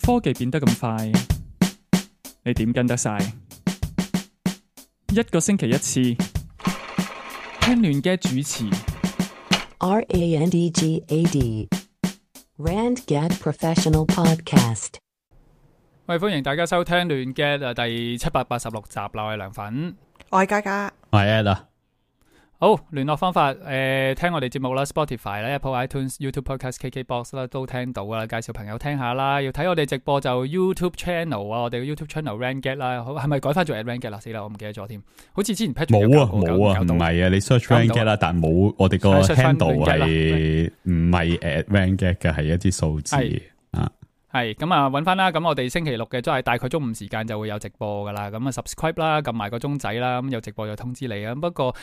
科技變得咁快，你點跟得晒？一個星期一次，聽亂嘅主持。RANDGAD RandGad Professional Podcast。喂，歡迎大家收聽亂嘅第786集啦，我係梁粉，我係嘉嘉，我係 Ed 啊。好，聯絡方法聽我哋節目啦 ，Spotify 啦、Apple iTunes、YouTube Podcast、KKBox 啦都聽到啦，介紹朋友聽下啦。要睇我哋直播就 YouTube Channel 啊，我哋嘅 YouTube Channel RandGad 啦，係咪改翻做 RandGad 啦？死啦，我唔記得咗添。好似之前 Patrick 冇啊，唔係啊，你 search RandGad 啦，但係冇我哋個 handle 係唔係 RandGad 嘅，係一啲數字啊。係咁啊，揾翻啦。咁我哋星期六嘅都係大概中午時間就會有直播噶啦。咁啊 subscribe 啦，撳埋個鐘仔啦。咁有直播就通知你啊。不過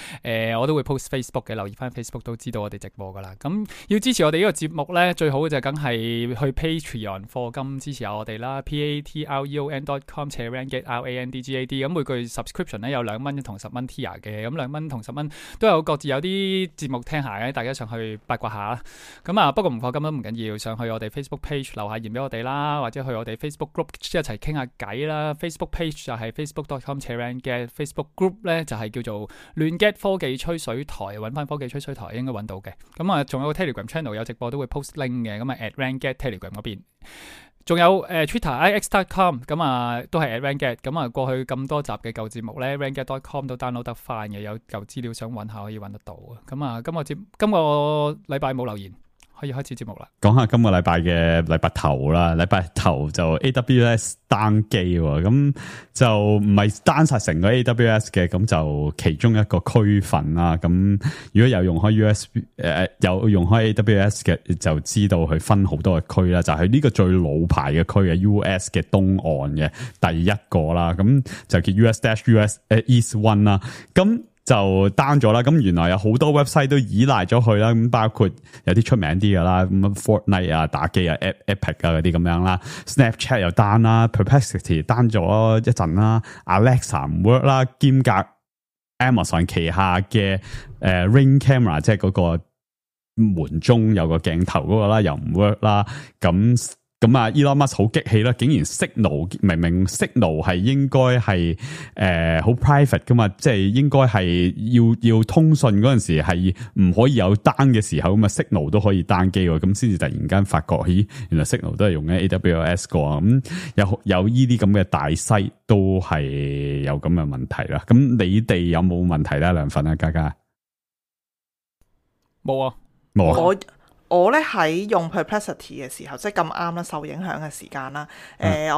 我都會 post Facebook 嘅，留意翻 Facebook 都知道我哋直播噶啦。咁要支持我哋呢個節目咧，最好嘅就梗係去 Patreon 課金支持下我哋啦。patreon.com/randgad。咁每個月 subscription 咧有2蚊同10蚊 tier 嘅。咁2蚊同10蚊都有各自有啲節目聽下嘅，大家上去八卦下啦。咁啊，不過唔課金都唔緊要，上去我哋 Facebook page 留下言俾我哋啦，或者去我哋 Facebook group 一齊傾下偈啦。Facebook page 就係 facebook.com/randgad，Facebook group 咧就係叫做亂 get 科技吹水台，揾翻科技吹水台應該揾到嘅。咁啊，仲有個 Telegram channel 有直播都會 post link 嘅，咁啊 @randgad Telegram 嗰邊。仲有Twitter ix.com， 咁啊都係@randgad。咁啊過去咁多集嘅舊節目咧 randgad.com 都 download 得翻嘅，有舊資料想揾下可以揾得到啊。咁啊今個禮拜冇留言。可以開始節目啦。講下今個禮拜嘅禮拜頭啦，禮拜頭就 AWS 單機喎，咁就唔係單晒成個 AWS 嘅，咁就其中一個區份啦。咁如果有用開 USB 有用開 AWS 嘅，就知道佢分好多嘅區啦。就係呢個最老牌嘅區嘅 US 嘅東岸嘅第一個啦，咁就叫 US-US East One 啦。咁就 down 咗啦，咁原來有好多 website 都依賴咗佢啦，咁包括有啲出名啲嘅啦，咁 Fortnite 啊、打機啊、Epic 啊嗰啲咁樣啦 ，Snapchat 又 down 啦 ，Perplexity down 咗一陣啦 ，Alexa 唔 work 啦，兼夾 Amazon 旗下嘅Ring Camera 即係嗰個門中有個鏡頭嗰個啦，又唔 work 啦，咁啊 Elon Musk 好激氣啦，竟然 Signal 明明 Signal 係應該係好 private 噶嘛，即係應該係要通訊嗰陣時係唔可以有單嘅時候，咁啊 Signal 都可以單機喎，咁先至突然間發覺，咦，原來 Signal 都係用緊 AWS 個，咁有呢啲咁嘅大西都係有咁嘅問題啦。咁你哋有冇問題咧？梁粉啊，嘉嘉冇啊，冇啊。我咧喺用 Perplexity 嘅時候，即係咁啱啦，受影響嘅時間啦。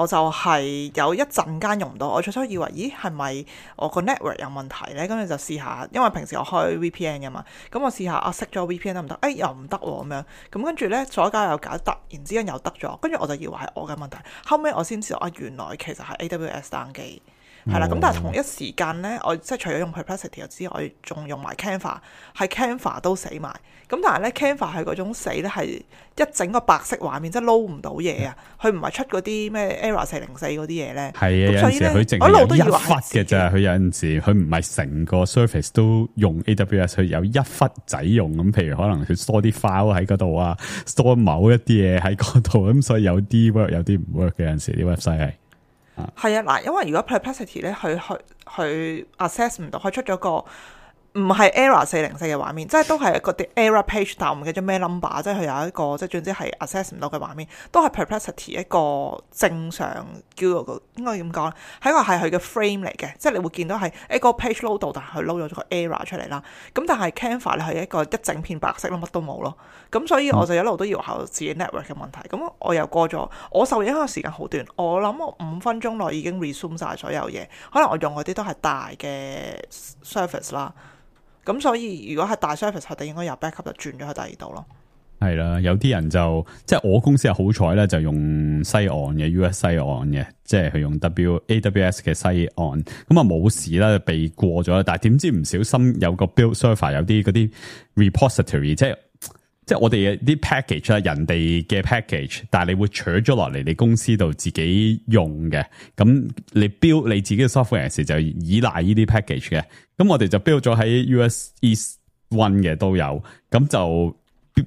我就係有一陣間用唔到，我初初以為，咦，係咪我個 network 有問題咧？跟住就試下，因為平時我開 VPN 嘅嘛，咁我試下熄咗 VPN 得唔得？又唔得喎咁樣。咁跟住咧左搞右搞，突然之間又得咗，跟住我就以為係我嘅問題。後尾我先知道原來其實係 AWS 單機。係啦，咁但係同一時間咧，我即係除咗用 Perplexity 之外，我仲用埋 Canva， 係 Canva 都死埋。咁但係咧 Canva 係嗰種死咧，係一整個白色畫面，即係撈唔到嘢啊！佢唔係出嗰啲咩 Error 404嗰啲嘢咧。係啊，有陣時佢淨係有一忽嘅咋，佢有陣時佢唔係成個 surface 都用 AWS， 佢有一忽仔用咁。譬如可能佢 store 啲 file 喺嗰度啊 ，store 某一啲嘢喺嗰度，咁所以有啲 work， 有啲唔 work 嘅。有陣時啲 website 係。係啊，嗱，因為如果 Perplexity 咧，佢 access 唔到，佢出咗個唔係 Error 404嘅畫面，即係都係一個 Error page，但我唔記得咩 number， 即係佢有一個即係總之係 access 唔到嘅畫面，都係 Perplexity 一個正常叫做應該點講咧，係佢嘅 frame 嚟嘅，即係你會見到係一個 page load 到，但係佢 load 咗個 error 出嚟啦。咁但係 Canva 咧係一個一整片白色咯，乜都冇咯。咁所以我就一路都以為係自己 network 嘅問題。咁我又過咗，我受影響嘅時間好短，我諗我5分鐘內已經 resume 晒所有嘢。可能我用嗰啲都係大嘅 service 啦。咁所以如果係大 service， 佢哋應該由 backup 就轉咗去第二度咯。係啦，有啲人就即係我公司係好彩咧，就用西岸嘅 US 西岸嘅，即係佢用 AWS 嘅西岸，咁啊冇事啦，避過咗啦。但係點知唔小心有個 build server 有啲嗰啲 repository， 即係我哋啲 package 啦，人哋嘅 package， 但係你會取咗落嚟你公司度自己用嘅，咁你 build 你自己嘅 software 時就依賴呢啲 package 嘅，咁我哋就 build 咗喺 US East One 嘅都有，咁就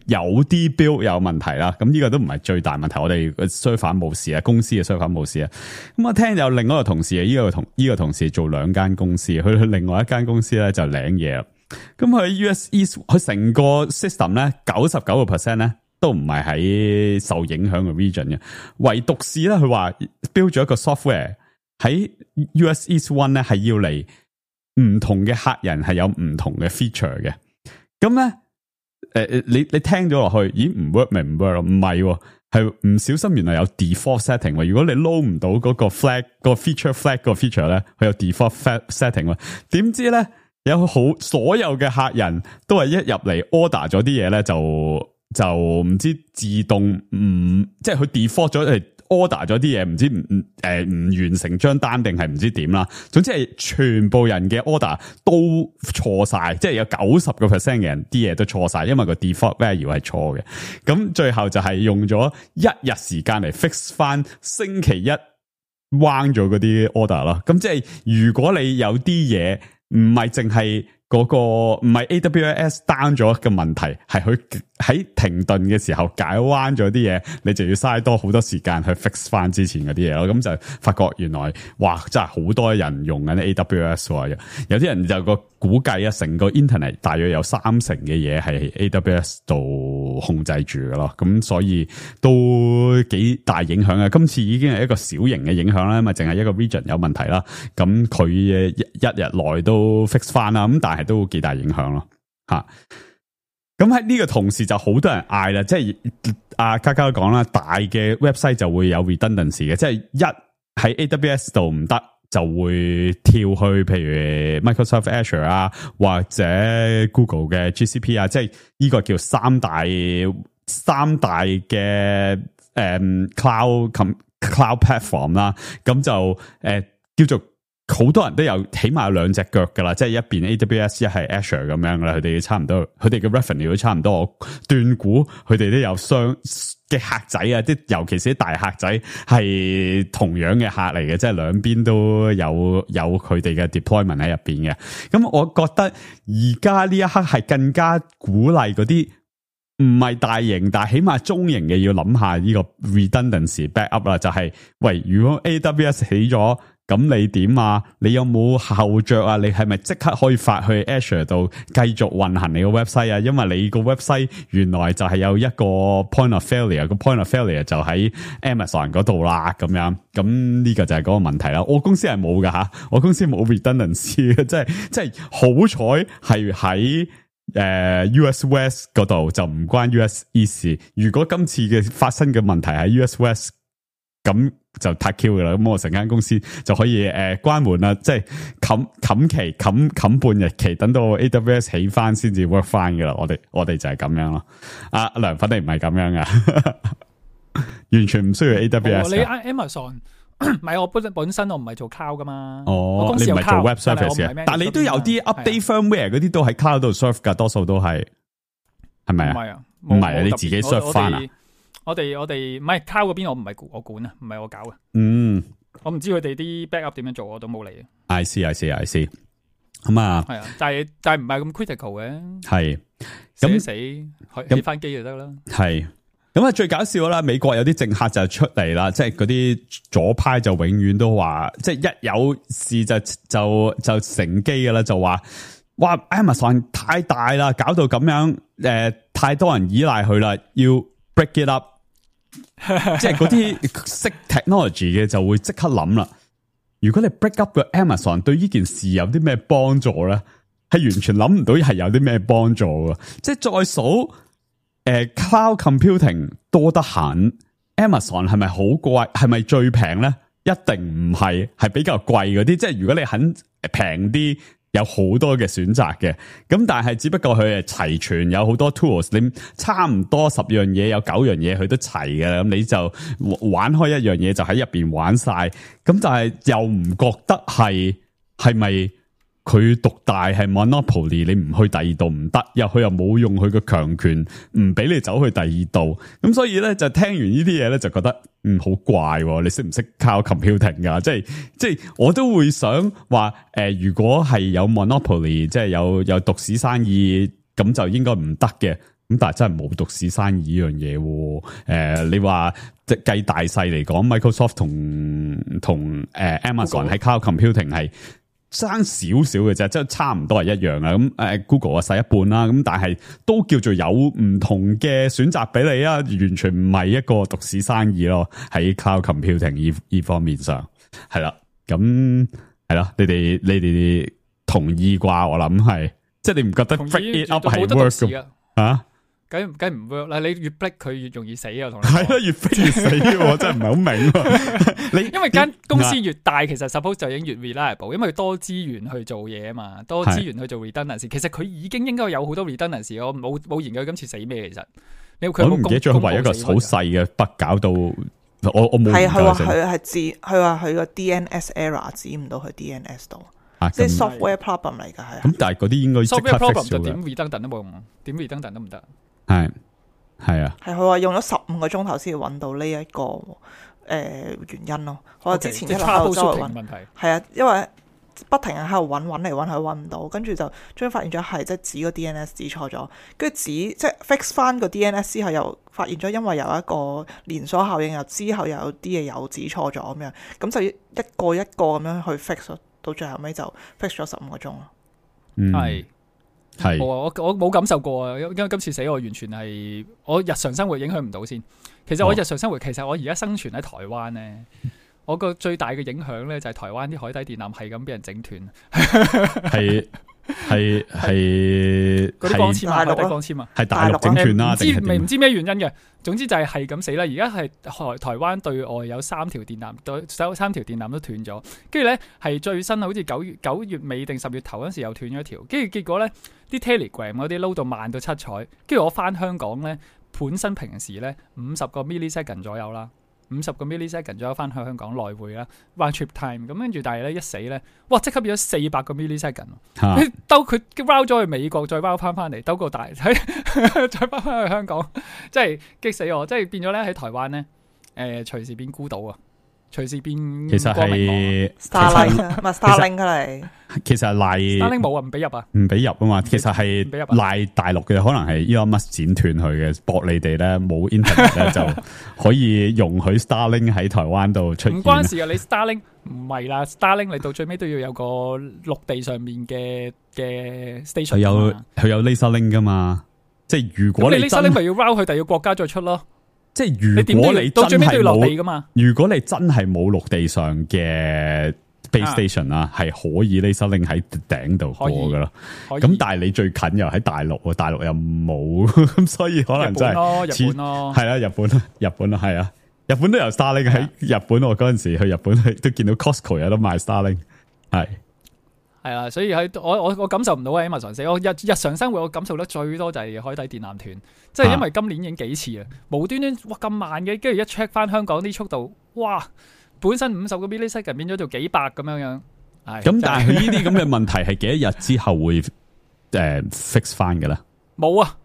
有啲 build 有問題啦，咁呢個都唔係最大問題，我哋嘅 server 冇事啊，公司嘅 server 冇事啊。咁我聽有另外一個同事啊，呢個同事做2間公司，去另外一間公司咧就領嘢啦。咁佢 US East 佢成個 system 咧99% 咧都唔係喺受影響嘅 region 嘅，唯獨是咧佢話 build 咗一個 software 喺 US East One 咧係要嚟唔同嘅客人係有唔同嘅 feature 嘅，咁咧。你聽咗落去，咦唔 work 咪唔 work 咯？唔係，係唔小心原來有 default setting。如果你撈唔到嗰個 flag 個 feature flag 個 feature 咧，佢有 default setting。點知咧有所有嘅客人都係一入嚟 order 咗啲嘢咧，就唔知自動即係佢 default 咗係。order 咗啲嘢唔知唔完成張單定係唔知點啦，總之係全部人嘅 order 都錯晒，即係有90% 嘅人啲嘢都錯晒，因為個 default value 係錯嘅。咁最後就係用咗1日時間嚟 fix 翻星期一彎咗嗰啲 order 咯。咁即係如果你有啲嘢唔係淨係嗰個唔係 AWS down 咗嘅問題，係佢喺停頓嘅時候解彎咗啲嘢，你就要嘥多好多時間去 fix 翻之前嗰啲嘢咯。咁就發覺原來哇，真係好多人用緊 AWS 喎。有啲人就個估計啊，成個 internet 大約有30%嘅嘢係 AWS 度控制住嘅咯。咁所以都幾大影響啊。今次已經係一個小型嘅影響啦，因為淨係一個 region 有問題啦。咁佢一日內都 fix 翻啦。咁但係都幾大影響咯，吓。咁喺呢個同時就好多人嗌啦，即係阿嘉嘉都講啦，大嘅 website 就會有 redundancy 嘅，即係一喺 AWS 度唔得，就會跳去譬如 Microsoft Azure 啊，或者 Google 嘅 GCP 啊，即係呢個叫三大嘅cloud platform 啦，咁就叫做。好多人都有起碼有2隻腳噶啦，即係一邊 AWS 一係 Azure 咁樣噶啦，佢哋差唔多，佢哋嘅 revenue 都差唔多。我斷估佢哋都有雙嘅客仔啊，啲尤其是啲大客仔係同樣嘅客嚟嘅，即係兩邊都有佢哋嘅 deployment 喺入邊嘅。咁我覺得而家呢一刻係更加鼓勵嗰啲唔係大型，但係起碼中型嘅要諗下呢個 redundancy backup 啦，就係喂，如果 AWS 起咗。咁你點啊？你有冇後着啊？你係咪即刻可以發去 Azure 度繼續運行你個 website 啊？因為你個 website 原來就係有一個 point of failure，個 point of failure 就喺 Amazon 嗰度啦，咁樣。咁呢個就係嗰個問題啦。我公司係冇噶吓，我公司冇 redundancy 嘅，即係好彩係喺US West 嗰度就唔關 US East。如果今次嘅發生嘅問題喺 US West，咁就太 Q 嘅啦，咁我成間公司就可以關門啦，即係冚半日期，等到 AWS 起翻先至 work 翻嘅啦。我哋就係咁樣咯。阿梁粉你唔係咁樣噶，完全唔需要 AWS。你 Amazon 唔係我本身我唔係做 cloud 噶嘛。哦，你唔係做 web service 嘅，但係你都有啲 update firmware 嗰啲都喺 cloud 度 serve 噶，多數都係咪啊？唔係啊，唔係啊，你自己 serve 翻啊？我哋唔係 cloud 嗰邊，我唔係我管啊，唔係我搞嘅。我唔知佢哋啲 backup 點樣做，我都冇理。I see。咁啊，係啊，但係唔係咁 critical 嘅。係咁死起翻機就得啦。係咁啊，最搞笑啦！美國有啲政客就出嚟啦，即係嗰啲左派就永遠都話，即係一有事就乘機噶啦，就話哇 Amazon 太大啦，搞到咁樣太多人依賴佢啦，要 break it up。即係嗰啲識 technology 嘅就會即刻諗啦。如果你 break up 個 Amazon 對呢件事有啲咩幫助咧？係完全諗唔到係有啲咩幫助嘅。即係再數cloud computing 多得很 ，Amazon 係咪好貴？係咪最平咧？一定唔係，係比較貴嗰啲。即係如果你肯平啲。有好多嘅選擇嘅，咁但係只不過佢係齊全，有好多 tools，你差唔多10樣嘢有9樣嘢佢都齊嘅，咁你就玩開一樣嘢就喺入邊玩晒，咁但係又唔覺得係咪佢獨大係 monopoly， 你唔去第二度唔得，佢又冇用佢嘅強權唔俾你走去第二度，咁所以咧就聽完呢啲嘢咧就覺得好怪，你識唔識 cloud computing 噶？即係我都會想話如果係有 monopoly， 即係有獨市生意，咁就應該唔得嘅。咁但係真係冇獨市生意呢樣嘢喎。你話即係計大細嚟講 ，Microsoft 同Amazon 喺 Cloud Computing 係爭少少嘅啫，即係差唔多係一樣啊。咁Google 啊細一半啦，咁但係都叫做有唔同嘅選擇俾你啊，完全唔係一個獨市生意咯。喺 Cloud Computing 呢方面上係啦，咁係啦，你哋同意啩？我諗係，即係你唔覺得 break it up 係 work 㗎啊？梗唔 work 啦！你越逼佢越容易死啊！同你係啦，越逼越死，我真係唔係好明。你因為間公司越大，其實 suppose 就已經越 reliable，因為多資源去做嘢啊嘛，多資源去做 redundancy。其實佢已經應該有好多 redundancy。我冇研究今次死咩，其實佢我唔記得咗佢為一個好細嘅筆搞到我冇。係佢話佢話佢個 DNS error 指唔到去 DNS 度。即係 software problem 嚟㗎，係。咁但係嗰啲應該 software problem 就點 redundant 都冇用，點 redundant 都唔得。係啊。係佢話用咗15個鐘頭先揾到呢一個原因咯。我之前一路喺度周圍揾，係啊，因為不停喺度揾嚟揾去揾唔到，跟住就終於發現咗係即係指個 DNS 指錯咗，跟住即係 fix 翻個 DNS 之後又發現咗，因為有一個連鎖效應，又之後又有啲嘢又指錯咗咁樣，咁就一個一個咁樣去 fix 咯。到最後尾就 fix 咗15個鐘咯。係我冇感受過啊，因為今次死我完全係我日常生活影響唔到先。其實我日常生活，其實我而家生存喺台灣咧，我個最大嘅影響咧就係台灣啲海底電纜係咁俾人整斷。係嗰啲光纖啊，海底光纖啊，係大陸整斷啦，唔知咩原因嘅。總之就係咁死啦。而家係台灣對外有3條電纜，三條電纜都斷咗。跟住咧係最新好似9月尾定10月頭嗰時又斷咗一條。跟住結果咧啲 Telegram 嗰啲撈到慢到七彩。跟住我翻香港咧，本身平時咧50個 millisecond 左右啦。50個 millisecond 左右翻去香港來回啦 ，round trip time 咁跟住，但係咧一死咧，哇！即刻變咗400個 millisecond，佢兜佢 round 咗去美國，再 round 翻嚟，兜個大，再翻去香港，真係激死我！即係變咗咧喺台灣咧，隨時變孤島啊！隨時變其實係 Starlink 唔係 Starlink 嚟，其實係賴 Starlink 冇啊，唔俾入啊，唔俾入啊嘛。其實係賴大陸嘅，可能係 Elon Musk 剪斷佢嘅，博你哋咧冇 internet 咧就可以容許 Starlink 喺台灣度出現。唔關事啊，你 Starlink 唔係啦 ，Starlink 你到最尾都要有個陸地上面嘅 station。佢有 laser link 噶嘛？即係如果你 laser link 咪要 route 去第二個國家再出咯。即係如果你到最尾都要落地噶嘛？如果你真係冇陸地上嘅 base station 啦，係可以 laser link 喺頂度過噶咯。咁但係你最近又喺大陸，大陸又冇，咁所以可能真係日本咯，係啦，日本咯，係啊，日本都有 Starlink 喺日本。我嗰陣時去日本都見到 Costco 有得賣 Starlink， 係啊，所以我感受唔到啊 Amazon 死。我日常生活我感受得最多就係海底電纜斷，即係因為今年已經幾次啊，無端端哇咁慢嘅，跟住一 check 翻香港啲速度，哇，本身50個 millisecond 變咗做幾百咁樣。咁但係佢呢啲咁嘅問題係幾多日之後會fix 翻嘅咧？冇啊，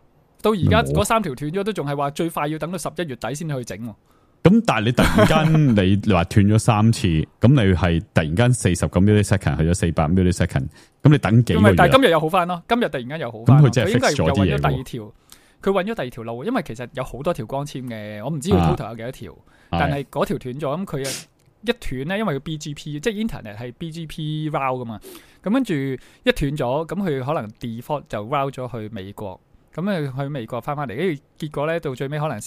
到而家嗰3條斷咗都仲係話最快要等到11月底先去整。咁但係你突然間你話斷咗3次，咁你係突然間40個 millisecond 去咗400 millisecond，咁你等幾個月？但係今日又好翻咯，今日突然間又好翻。咁佢真係 fix 咗啲嘢。佢應該又揾咗第二條，佢揾咗第二條路，因為其實有好多條光纖嘅，我唔知佢 total 有幾多條，但係嗰條斷咗，咁佢一斷咧，因為佢 BGP 即係 internet 係 BGP route 噶嘛，咁跟住一斷咗，咁佢可能 default 就 route 咗去美國。咁去美國翻嚟，跟住結果咧到最尾可能隔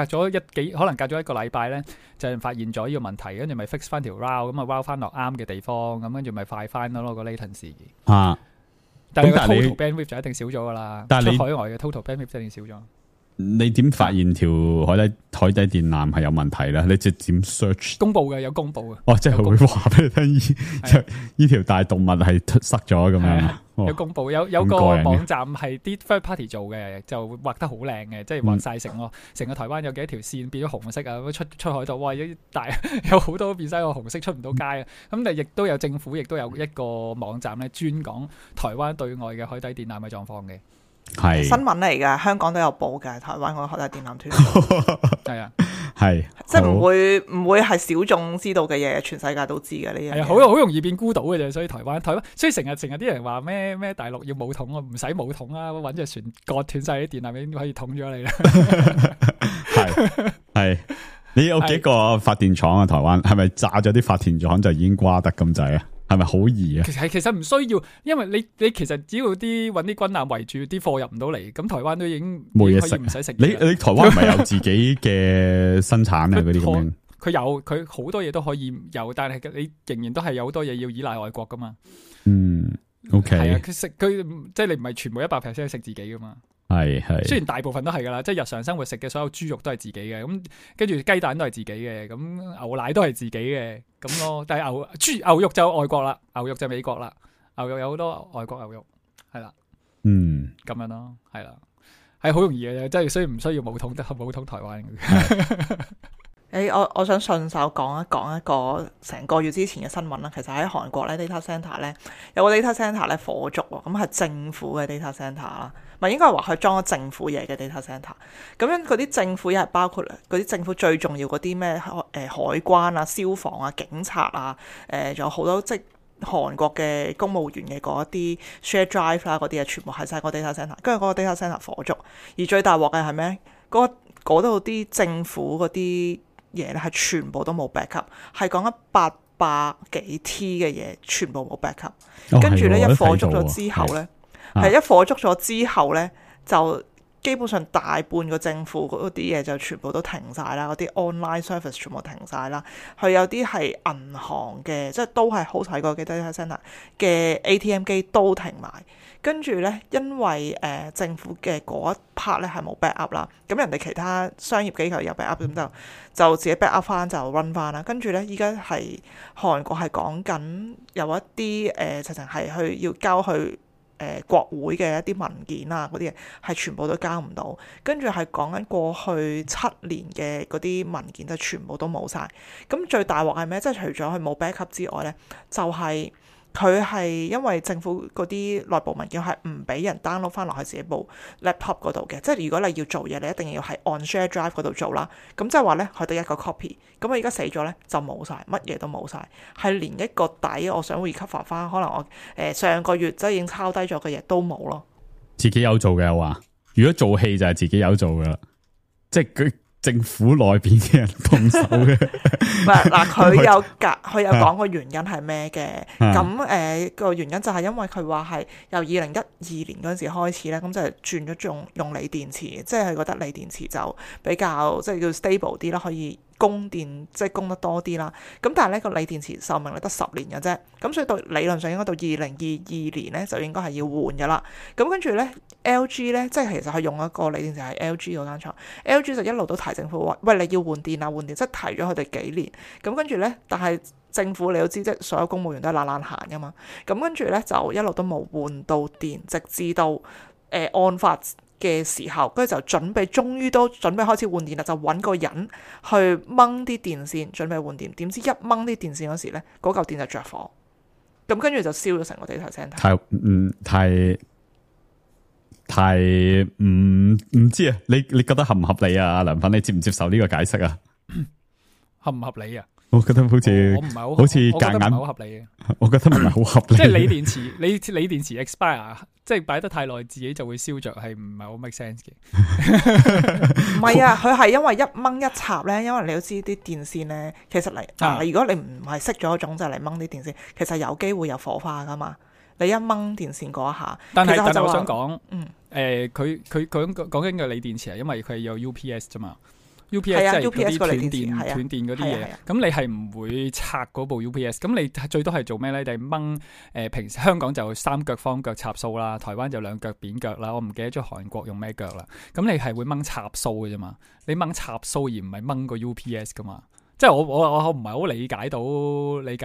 咗一個禮拜咧，就發現咗呢個問題，跟住咪 fix 翻條 route，咁啊 route 翻落啱嘅地方，咁跟住咪快翻咯個 latency。但係個 total bandwidth 就一定少咗噶啦，出海外嘅 total bandwidth 一定少咗。你點發現條海底電纜係有問題咧？你即係點 search？ 公佈嘅，有公佈嘅。哦，即係佢會話俾你聽，呢條大動物係塞咗咁樣。有公佈，有個網站係啲 third party 做嘅，就畫得好靚嘅，即係畫晒成個台灣有幾多條線變咗紅色啊！出海度，哇！有好多變晒個紅色，出唔到街啊！咁但係亦都有政府，亦都有一個網站咧，專講台灣對外嘅海底電纜嘅狀況嘅。係新聞嚟㗎，香港都有報嘅，台灣個海底電纜斷。係啊，係即係唔會係小眾知道嘅嘢，全世界都知嘅呢樣嘢。係啊，好容易變孤島嘅啫。所以台灣，所以成日啲人話咩大陸要武統啊，唔使武統啊，揾隻船割斷晒啲電纜已經可以統咗你啦。係你有幾個發電廠啊？台灣係咪炸咗啲發電廠就已經瓜得咁滯啊？係咪好易啊？其實唔需要，因為你其實只要揾啲軍艦圍住啲貨入唔到嚟，咁台灣都已經冇嘢食，唔使食。你台灣唔係有自己嘅生產啊？嗰啲咁樣，佢好多嘢都可以有，但係你仍然都係有好多嘢要依賴外國噶嘛。OK， 係啊，佢即係你唔係全部100% 食自己噶嘛。係，雖然大部分都係噶啦，即係日常生活食嘅所有豬肉都係自己嘅，咁跟住雞蛋都係自己嘅，咁牛奶都係自己嘅，咁咯。但係牛肉就外國啦，牛肉就美國啦，牛肉有好多外國牛肉，係啦，咁樣咯，係啦，係好容易嘅，即係所以唔需要武統台灣嘅。我想順手講一個成個月之前嘅新聞啦。其實喺韓國咧 data centre 咧有個 data centre 咧火燭喎，咁係政府嘅 data centre 啦，咪應該係話佢裝咗政府嘢嘅 data centre。咁樣嗰啲政府嘢係包括嗰啲政府最重要嗰啲咩海關啊、消防啊、警察啊，仲有好多即係韓國嘅公務員嘅嗰一啲 share drive 啦，嗰啲嘢全部係晒個 data centre。跟住嗰個 data centre 火燭，而最大鑊嘅係咩？嗰度啲政府嗰啲嘢咧係全部都冇 backup， 係講緊800幾 T 嘅嘢，全部冇 backup。跟住咧一火燭咗之後咧，一火燭咗之後咧，就基本上大半個政府嗰啲嘢就全部都停晒啦，嗰啲 online service 全部停晒啦。佢有啲係銀行嘅，即係都係好睇過嘅 data center 嘅 ATM 機都停埋。跟住咧，因為政府嘅嗰一 part 咧係冇 backup 啦，咁人哋其他商業機構有 backup，咁就自己 backup 翻就 run 翻啦。跟住咧，依家係韓國係講緊有一啲直情係去要交去國會嘅一啲文件啊，嗰啲嘢係全部都交唔到。跟住係講緊過去7年嘅嗰啲文件就全部都冇晒。咁最大鑊係咩？即係除咗佢冇 backup 之外咧，就係佢係因為政府嗰啲內部文件係唔俾人 download 翻落去自己部 laptop 嗰度嘅，即係如果你要做嘢，你一定要喺 on share drive 嗰度做啦。咁即係話咧，佢得一個 copy。咁我而家死咗咧，就冇晒，乜嘢都冇晒，係連一個底我想 recover 翻，可能我上個月即係已經抄低咗嘅嘢都冇咯。自己有做嘅話，如果做戲就係自己有做噶啦，即係佢。政府內邊嘅人動手嘅，唔係嗱，佢有講個原因係咩嘅？咁個原因就係因為佢話係由2012年嗰陣時開始咧，咁就轉咗用鋰電池，即係佢覺得鋰電池就比較即係叫 stable 啲啦，可以供電即係供得多啲啦。咁但係呢個鋰電池壽命得10年嘅啫，咁所以到理論上應該到2022年咧就應該係要換噶啦。咁跟住咧 LG 咧，即係其實係用一個鋰電池係 LG 嗰間廠 ，LG 就一路都提政府話，喂，你要換電啊，換電，即係提咗佢哋幾年。咁跟住咧，但係政府你都知，即係所有公務員都係懶閒噶嘛。咁跟住咧就一路都冇換到電，直至到案發嘅時候，跟住就終於都準備開始換電啦，就揾個人去掹啲電線，準備換電。點知一掹啲電線嗰時咧，嗰嚿電就着火，咁跟住就燒咗成個 data center。太唔知啊！你覺得合唔合理啊？阿梁粉，你接唔接受呢個解釋啊？合唔合理啊？我覺得好似我唔係好，好似夾硬，好合理嘅。我覺得唔係好合理。即係鋰電池，鋰電池 expire， 即係擺得太耐，自己就會燒着，係唔係好 make sense 嘅？唔係啊，佢係因為一掹一插咧，因為你都知啲電線咧，其實如果你唔係熄咗種就嚟掹啲電線，其實有機會有火花噶嘛。你一掹電線嗰一下，但係我想講，佢講緊嘅鋰電池係因為佢有 UPS 啫嘛。UPS 即係嗰啲斷電嗰啲嘢，咁你係唔會拆嗰部 UPS， 咁你最多係做咩咧？你掹平時香港就3腳方腳插蘇啦，台灣就2腳扁腳啦，我唔記得咗韓國用咩腳啦。咁你係會掹插蘇嘅啫嘛，你掹插蘇而唔係掹個 UPS 噶嘛。即係我唔係好理解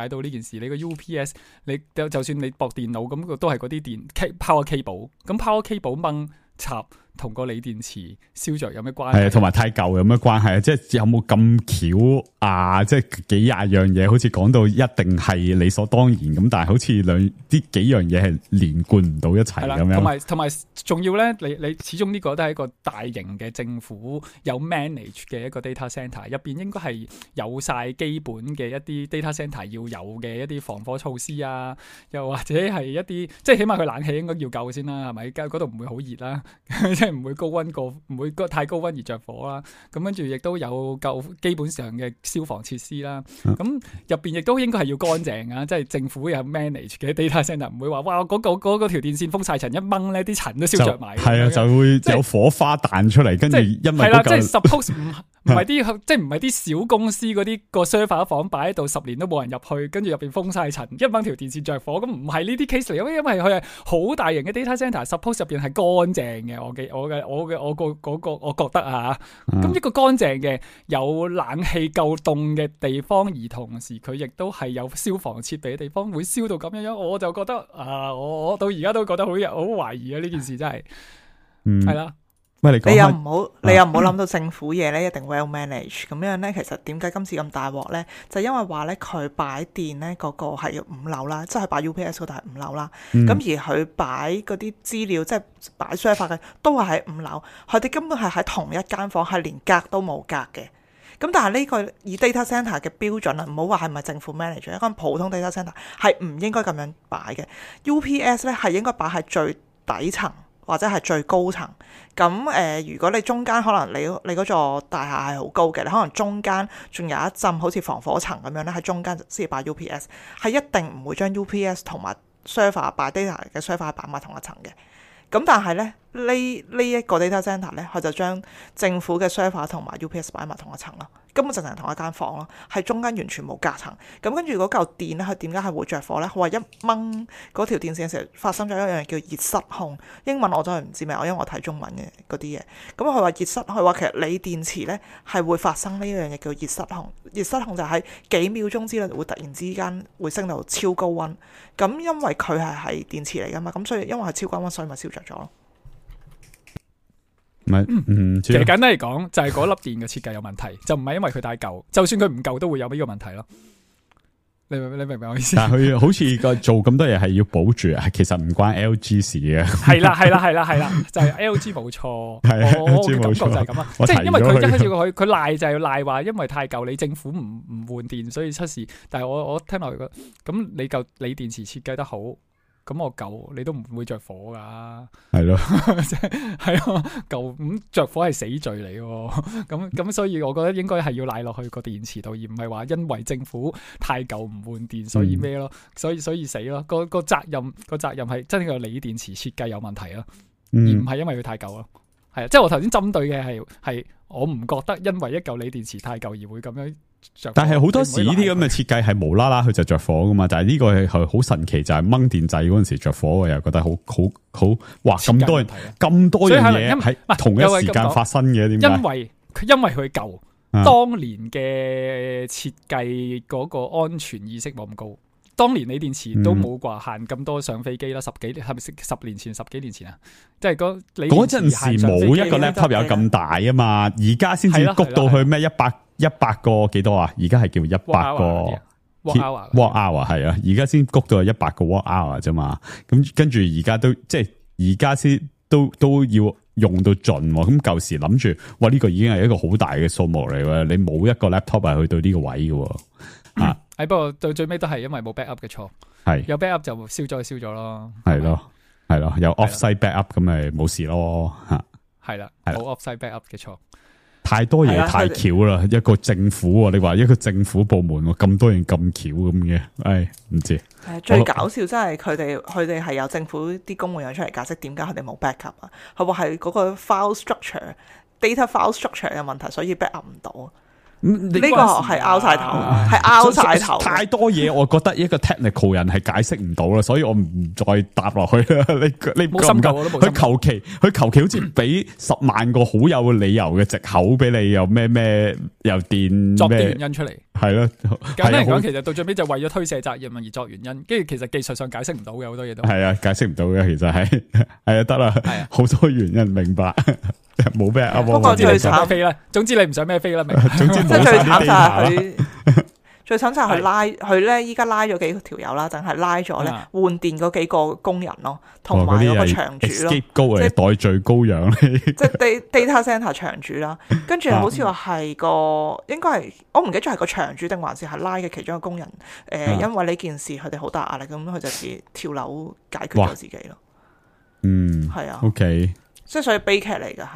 到呢件事。你個 UPS 你就算你駁電腦咁，都係嗰啲電 power cable，咁 power cable 掹插同個鋰電池燒着有咩關係啊，係？同埋太舊有咩關係啊？即係有冇咁巧啊？即係幾廿樣嘢，好似講到一定係理所當然咁，但係好似啲幾樣嘢係連貫唔到一齊係啦，咁樣。同埋仲要咧，你始終呢個都係一個大型嘅政府有 manage 嘅一個 data centre，入邊應該係有晒基本嘅一啲 data centre 要有嘅一啲防火措施啊，又或者係一啲即係起碼佢冷氣應該要夠先啦，係咪？嗰度唔會好熱啦，即係唔會高溫過，唔會太高溫而着火啦。咁跟住亦都有夠基本上嘅消防設施啦。咁入邊亦都應該係要乾淨啊，即係政府有 manage 嘅 data centre，唔會話哇嗰條電線封晒塵一掹咧，啲塵都燒着埋。係啊，就會有火花彈出嚟，跟住因為係啦，即係 suppose 唔係啲即係唔係啲小公司嗰啲個 server 房擺喺度10年都冇人入去，跟住入邊封晒塵，一掹條電線着火，咁唔係呢啲 case 嚟，因為佢係好大型嘅 data centre，suppose 入邊係乾淨嘅，我覺得啊，咁一個乾淨嘅有冷氣夠凍嘅地方，而同時佢亦都係有消防設備嘅地方，會燒到咁樣，我就覺得啊，我到而家都覺得好懷疑啊，呢件事真係，係啦。喂，你又唔好諗到政府嘢咧，一定 well manage 咁樣咧。其實點解今次咁大鑊咧？就因為話咧，佢擺電咧嗰個係5樓啦，即係擺 UPS 嗰度係5樓啦。咁而佢擺嗰啲資料，即係擺 server 嘅，都係喺5樓。佢哋根本係喺同一間房，係連隔都冇隔嘅。咁但係呢個以 data centre 嘅標準啊，唔好話係咪政府 manage，一間普通 data centre 係唔應該咁樣擺嘅。UPS 咧係應該擺喺最底層，或者係最高層，咁如果你中間可能你嗰座大廈係好高嘅，你可能中間仲有一浸好似防火層咁樣咧，喺中間先擺 UPS， 係一定唔會將 UPS 同埋 server 擺 data 嘅 server 擺埋同一層嘅。咁但係咧呢一個 data centre 咧，佢就將政府嘅 server 同埋 UPS 擺埋同一層咯，根本就係同一間房咯，係中間完全冇隔層。咁跟住嗰嚿電咧，佢點解係會着火咧？佢話一掹嗰條電線嘅時候發生咗一樣叫熱失控，英文我真係唔知咩，因為我睇中文嘅嗰啲嘢。咁佢話熱失，佢話其實鋰電池咧係會發生呢一樣嘢叫熱失控。熱失控就係幾秒鐘之內會突然之間會升到超高溫。咁因為佢係電池嚟噶嘛，咁所以因為係超高溫，所以咪燒着咗咯。其實簡單嚟講，就係嗰粒電嘅設計有問題，就唔係因為佢太舊，就算佢唔夠都會有呢個問題咯。你明唔明我意思？但係佢好似個做咁多嘢係要保住，係其實唔關 LG 事嘅。係啦，就係 LG 冇錯。我嘅感覺就係咁啊，即係因為佢一開始佢賴就係賴話，因為太舊，你政府唔換電，所以出事。但係我聽落去咁你嚿鋰電池設計得好。咁我舊你都唔會着火噶，係咯，係咯，舊咁着火係死罪嚟喎，咁所以我覺得應該係要賴落去個電池度，而唔係話因為政府太舊唔換電，所以咩咯，所以死咯，個責任係真係個鋰電池設計有問題咯，而唔係因為佢太舊咯，係啊，即係我頭先針對嘅係我唔覺得因為一嚿鋰電池太舊而會咁樣。但係好多時呢啲咁嘅設計係無啦啦佢就着火噶嘛，但係呢個係好神奇，就係掹電掣嗰陣時着火，我又覺得好哇咁多樣嘢喺同一時間發生嘅，點解？因為佢舊，當年嘅設計嗰個安全意識冇咁高。當年鋰電池都冇話限咁多上飛機啦，10幾年前啊，即係嗰陣時冇一個 laptop 有咁大啊嘛，而家先至谷到去咩100個幾多啊？而家係叫100個 watt hour 係啊，而家先谷到係100個 watt hour 啫嘛。咁跟住而家都即係而家先都要用到盡。咁舊時諗住，哇呢個已經係一個好大嘅數目嚟喎，你冇一個 laptop 係去到呢個位嘅。不過到最尾都係因為冇 backup 嘅錯，係有 backup 就燒咗咯，係咯，有 offsite backup 咁咪冇事咯，係啦，冇 offsite backup 嘅錯，太多嘢太巧啦，一個政府，你話一個政府部門咁多嘢咁巧咁嘅，唔知。最搞笑真係佢哋係有政府啲公務員出嚟解釋點解佢哋冇 backup 啊，佢話係嗰個 file structure、data file structure 嘅問題，所以 backup 唔到。呢個係拗晒頭，係拗晒頭。太多嘢，我覺得一個 technical 人係解釋唔到啦，所以我唔再答落去啦。你冇深究，佢求其好似俾10萬個好有理由嘅藉口俾你，又咩又電作啲原因出嚟，係咯，簡單嚟講，係啊其實到最尾就為咗推卸責任而作原因，跟住其實技術上解釋唔到嘅好多嘢都。係啊，解釋唔到嘅，其實係係啊，得啦係啊，好多原因明白，冇咩啊，不過總之你唔想最慘咩飛啦，總之你唔想咩飛啦，明？總之即係冇晒啲最慘就 data 係啦。佢，最慘就係佢拉佢咧，依家拉咗幾條友啦，淨係拉咗咧啊換電嗰幾個工人咯，同哦埋嗰個嗰啲係場主咯。 escape 高嚟，即代罪羔羊嚟。即係 data center 場主啦，跟住好似話係個應該係我唔記得咗係個場主定還是係拉嘅其中一個工人，因為呢件事佢哋好大壓力，咁佢就自己跳樓解決咗自己咯。嗯，係啊，OK，即係所以悲劇嚟嘅係，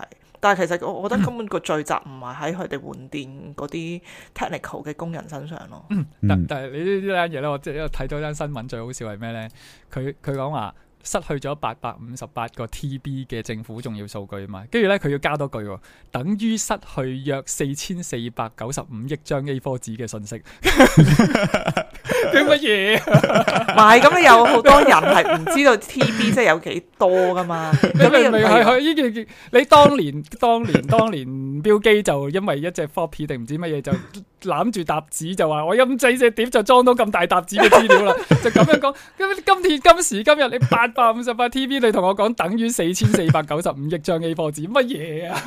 但係其實我覺得根本個罪責唔係喺佢哋換電嗰啲 technical 嘅工人身上咯。但係你呢單嘢咧，我即係睇到單新聞最好笑係咩咧？佢講話失去咗858個 TB 嘅政府重要數據啊嘛，跟住咧佢要加多句喎，等於失去約4495億張 A4 紙嘅信息。叫乜嘢？唔係咁，你有好多人係唔知道 TB 即係有幾多噶嘛？你明唔明係係佢呢件？你當年標機就因為一隻 floppy 定唔知乜嘢就攬住沓紙就話我陰仔隻碟就裝到咁大沓紙嘅資料啦，就咁樣講。咁今時今日你858 TB，你同我講等於4495億張 A4 紙，乜嘢啊？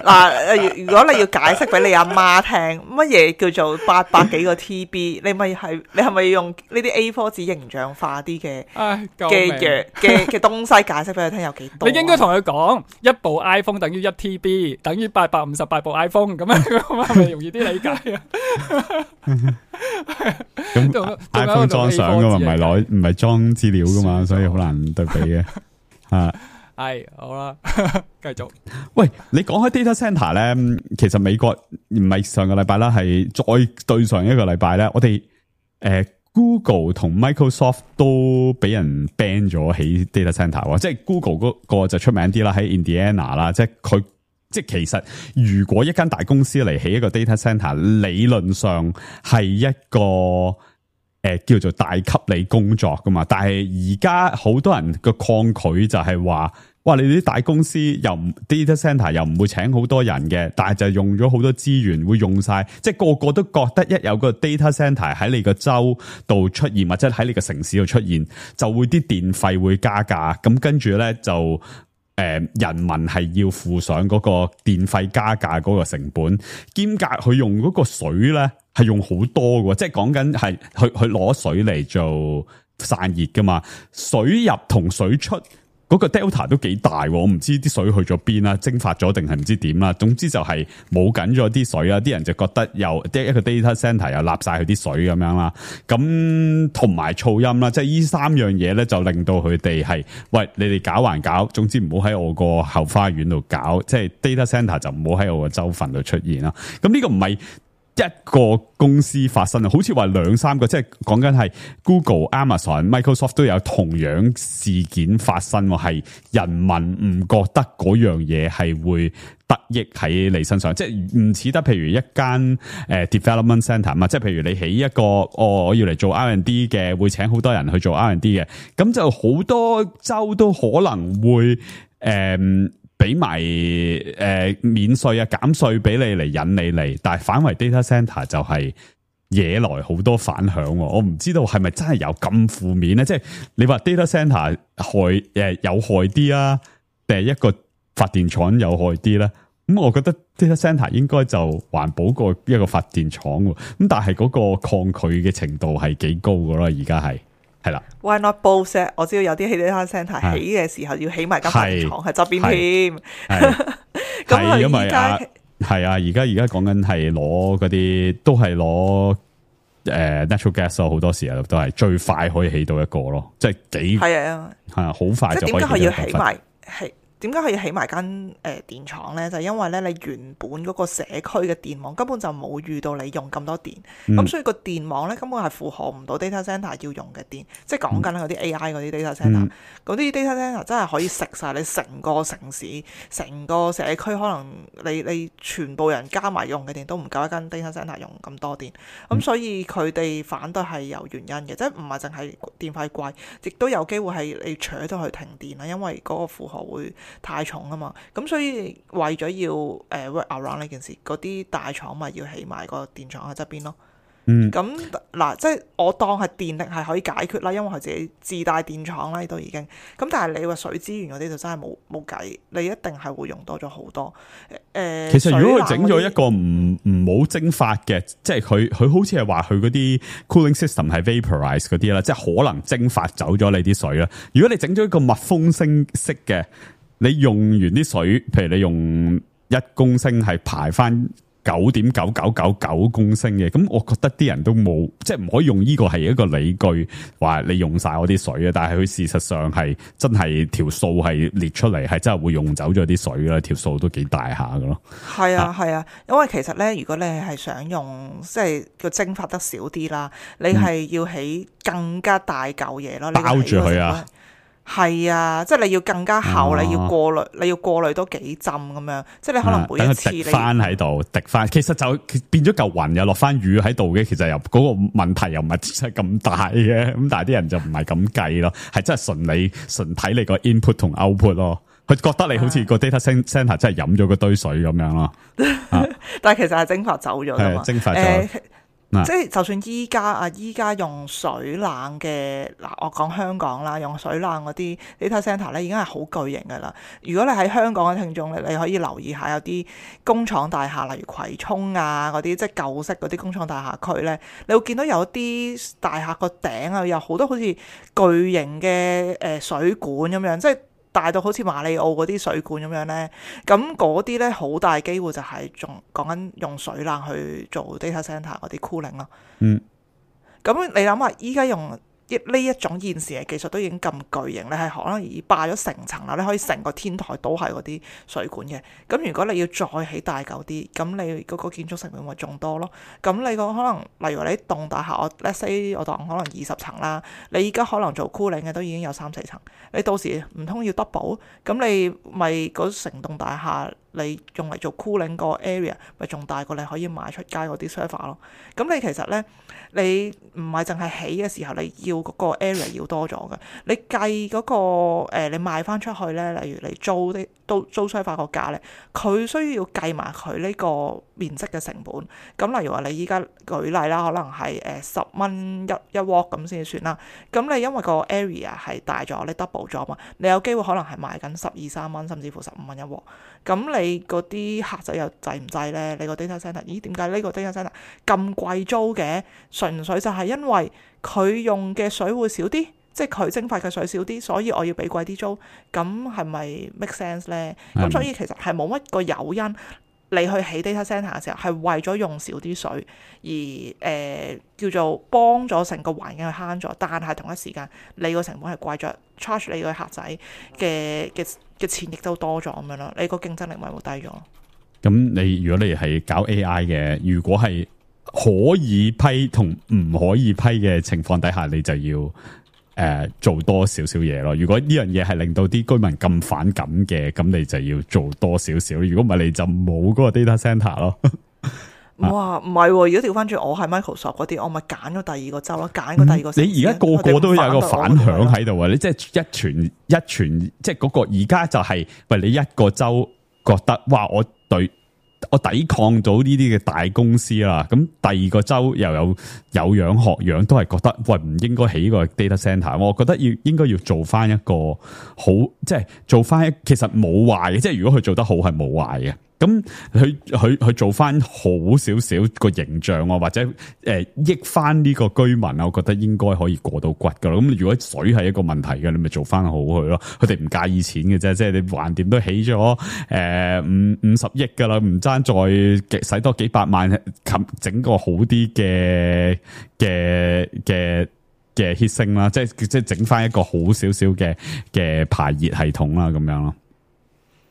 嗱，如果你要解釋俾你阿媽聽，乜嘢叫做800幾個 TB，你係咪要用呢啲 A4 紙形象化啲嘅唉，救命嘅東西解釋俾佢聽有幾多？你應該同佢講，一部 iPhone 等於1 TB，等於858部 iPhone 咁樣，係咪容易啲理解啊？咁 iPhone 裝相噶嘛，唔係裝資料噶嘛，所以好難對比嘅。啊，係好啦，繼續。喂，你講開 data center 咧，其實美國唔係上個禮拜啦，係再對上一個禮拜咧，我哋Google 同 Microsoft 都俾人 ban 咗起 data center 喎，即係 Google 嗰個就出名啲啦，喺 Indiana 啦，即係佢。即係其實，如果一間大公司嚟起一個 data center，理論上係一個叫做大級你工作噶嘛。但係而家好多人嘅抗拒就係話，哇！你哋啲大公司又唔 data center 又唔會請好多人嘅，但係就用咗好多資源，會用晒，即係個個都覺得一有個 data center 喺你個州度出現，或者喺你個城市度出現，就會啲電費會加價。咁跟住咧就。人民係要付上嗰個電費加價嗰個成本，兼夾佢用嗰個水咧係用好多嘅，即係講緊係去攞水嚟做散熱噶嘛，水入同水出。嗰個 delta 都幾大，我唔知啲水去咗邊啦，蒸發咗定係唔知點啦。總之就係冇緊咗啲水啦，啲人就覺得又一個 data center 又立晒佢啲水咁樣啦。咁同埋噪音啦，即係呢三樣嘢咧，就令到佢哋係喂，你哋搞還搞，總之唔好喺我個後花園度搞，即係 data center 就唔好喺我個州份度出現啦。咁呢個唔係一個公司發生啊，好似話兩三個，即係講緊係 Google、Amazon、Microsoft 都有同樣事件發生，係人民唔覺得嗰樣嘢係會得益喺你身上，即係唔似得譬如一間development center 嘛，即係譬如你起一個我要嚟做 R&D 嘅，會請好多人去做 R&D 嘅，咁就好多州都可能會俾埋免稅啊減稅俾你嚟引你嚟，但係反為 data center 就係惹來好多反響。我唔知道係咪真係有咁負面咧？即係你話 data center 有害啲啊，定係一個發電廠有害啲咧？咁我覺得 data center 應該就環保過一個發電廠喎。咁但係嗰個抗拒嘅程度係幾高噶咯？而家係啦。Why not both？我知道有啲 data center 起嘅時候要起埋間發電廠喺側邊添。咁佢因為而家係啊，而家講緊係攞嗰啲，都係攞natural gas 咯，好多時候都係最快可以起到一個咯，即係幾係啊，好快就可以。即係點解佢要起埋係？點解佢要起埋間電廠咧？就係因為咧，你原本嗰個社區嘅電網根本就冇預到你用咁多電，咁所以個電網咧根本係負荷唔到 data center 要用嘅電。即係講緊嗰啲 AI 嗰啲 data center，嗰啲 data center 真係可以食晒你成個城市、成個社區，可能你全部人加埋用嘅電都唔夠一間 data center 用咁多電。咁所以佢哋反對係有原因嘅，即係唔係淨係電費貴，亦都有機會係你扯到去停電啦，因為嗰個負荷會太重啊嘛，咁所以為咗要work around 呢件事，嗰啲大廠咪要起埋個電廠喺側邊咯。咁嗱，即係我當係電力係可以解決啦，因為佢自己自帶電廠啦，都已經。咁但係你話水資源嗰啲就真係冇計，你一定係會用多咗好多。其實如果佢整咗一個唔好蒸發嘅，即係佢好似係話佢嗰啲 cooling system 係 vaporize 嗰啲啦，即係可能蒸發走咗你啲水啦。如果你整咗一個密封式嘅，你用完啲水，譬如你用1公升係排翻9.9999公升嘅，咁我覺得啲人都冇，即係唔可以用呢個係一個理據話你用晒我啲水啊，但係佢事實上係真係條數係列出嚟，係真係會用走咗啲水啦，條數都幾大下噶咯。係啊係啊，因為其實咧，如果你係想用即係個蒸發得少啲啦，你係要起更加大嚿嘢咯，包住佢啊。係啊，即係你要更加厚，你要過濾，你要過濾多幾浸咁樣，即係你可能每一次你翻喺度滴翻，其實就變咗嚿雲又落翻雨喺度嘅，其實又嗰個問題又唔係真係咁大嘅，咁但係啲人就唔係咁計咯，係真係純睇你個 input 同 output 咯，佢覺得你好似個 data center 真係飲咗嗰堆水咁樣咯，但係其實係蒸發走咗噶嘛，蒸發咗。即係就算依家用水冷嘅嗱，我講香港啦，用水冷嗰啲 data center 咧已經係好巨型噶啦。如果你喺香港嘅聽眾咧，你可以留意下有啲工廠大廈，例如葵涌啊嗰啲，即係舊式嗰啲工廠大廈區咧，你會見到有啲大廈個頂啊，有好多好似巨型嘅水管咁樣，即係大到好似馬里奧嗰啲水管咁樣咧，咁嗰啲咧好大機會就係仲講緊用水冷去做 data center 嗰啲 cooling 咯。咁你諗下，依家用呢一種現時嘅技術都已經咁巨型，你係可能已霸咗成層樓，你可以成個天台都係嗰啲水管嘅。咁如果你要再起大嚿啲，咁你嗰個建築成本咪仲多咯？咁你個可能，例如你棟大廈，let's say 我當可能20層啦，你而家可能做 cooling 嘅都已經有3-4層，你到時唔通要 double？咁你咪嗰成棟大廈你用嚟做 cooling 個 area 咪仲大過你可以賣出街嗰啲 server 咯？咁你其實咧，你唔係淨係起嘅時候，你要嗰個 area 要多咗嘅。你計嗰個你賣翻出去咧，例如你租 server 個價咧，佢需要計埋佢呢個面積嘅成本。咁例如話你依家舉例啦，可能係10蚊一鑊咁先算啦。咁你因為個 area 係大咗，你 double 咗嘛，你有機會可能係賣緊12-13蚊，甚至乎15蚊一鑊。咁你嗰啲客仔又制唔制咧？你個 data center， 咦？點解呢個 data center 咁貴租嘅？純粹就係因為佢用嘅水會少啲，即係佢蒸發嘅水少啲，所以我要俾貴啲租。咁係咪 make sense 咧？咁所以其實係冇乜個誘因，你去起 data center 嘅時候係為咗用少啲水，而叫做幫咗成個環境去慳咗，但係同一時間你個成本係貴咗 ，charge 你個客仔嘅錢亦都多咗咁樣咯，你個競爭力咪會低咗。咁如果你係搞 AI 嘅，如果係可以批同唔可以批嘅情況底下，你就要做多少少嘢咯。如果呢樣嘢係令到啲居民咁反感嘅，咁你就要做多少少。如果唔係，你就冇嗰個 data center 咯。哇，唔係，如果調翻轉，我係 Microsoft 嗰啲，我咪揀咗第二個州咯，揀個第二個。你而家個個都有個反響喺度啊！你即係一傳，即係嗰個而家就係，喂，你一個州覺得哇，我抵抗到呢啲嘅大公司啦，咁第二個州又有樣學樣，都係覺得喂，唔應該起個 data center。我覺得應該要做翻一個好，即係做翻其實冇壞嘅，即係如果佢做得好係冇壞嘅。咁佢做翻好少少個形象啊，或者益翻呢個居民啊，我覺得應該可以過到骨噶啦。咁如果水係一個問題嘅，你咪做翻好佢咯。佢哋唔介意錢嘅啫，即係你橫掂都起咗50億噶啦，唔爭再使多幾百萬，整個好啲嘅 heat sink 啦，即係整翻一個好少少嘅排熱系統啦，咁樣咯。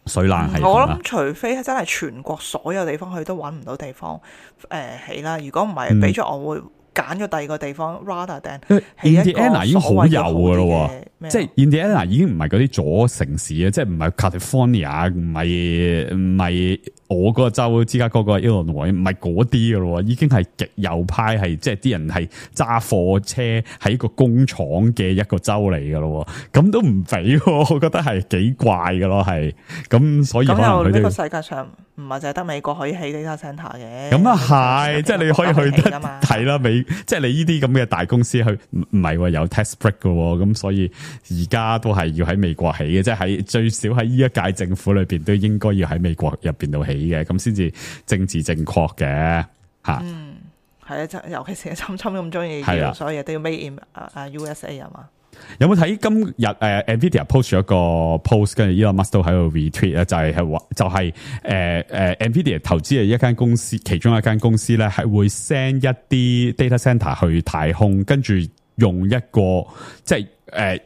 水冷系統，我諗除非真係全國所有地方佢都揾唔到地方起啦，如果唔係俾咗我會揀咗第二個地方 rather than 起一個 Indiana 已經好有噶咯，即係 Indiana 已經唔係嗰啲左城市啊，即係唔係 California，唔係我嗰個州芝加哥嗰個 Illinois 唔係嗰啲噶咯，已經係極右派，係即係啲人係揸貨車喺個工廠嘅一個州嚟噶咯，咁都唔俾，我覺得係幾怪噶咯，係咁所以可能佢哋呢個世界上唔係淨係得美國可以起 data centre 嘅，咁啊係，即係你可以去得㗎嘛睇啦，即係你呢啲咁嘅大公司去唔係喎有 tax break 噶，咁所以而家都係要喺美國起嘅，即係喺最少喺呢一屆政府裏邊都應該要喺美國入邊度起嘅，咁先至政治正確嘅吓。係啊，即係尤其是侵咁中意，所有嘢都要 made in USA 啊嘛。有冇睇今日Nvidia post 咗一個 post， 跟住 Elon Musk 都喺度 retweet 咧，就係Nvidia 投資嘅一間公司，其中一間公司咧係會 send 一啲 data center 去太空，跟住用一個即係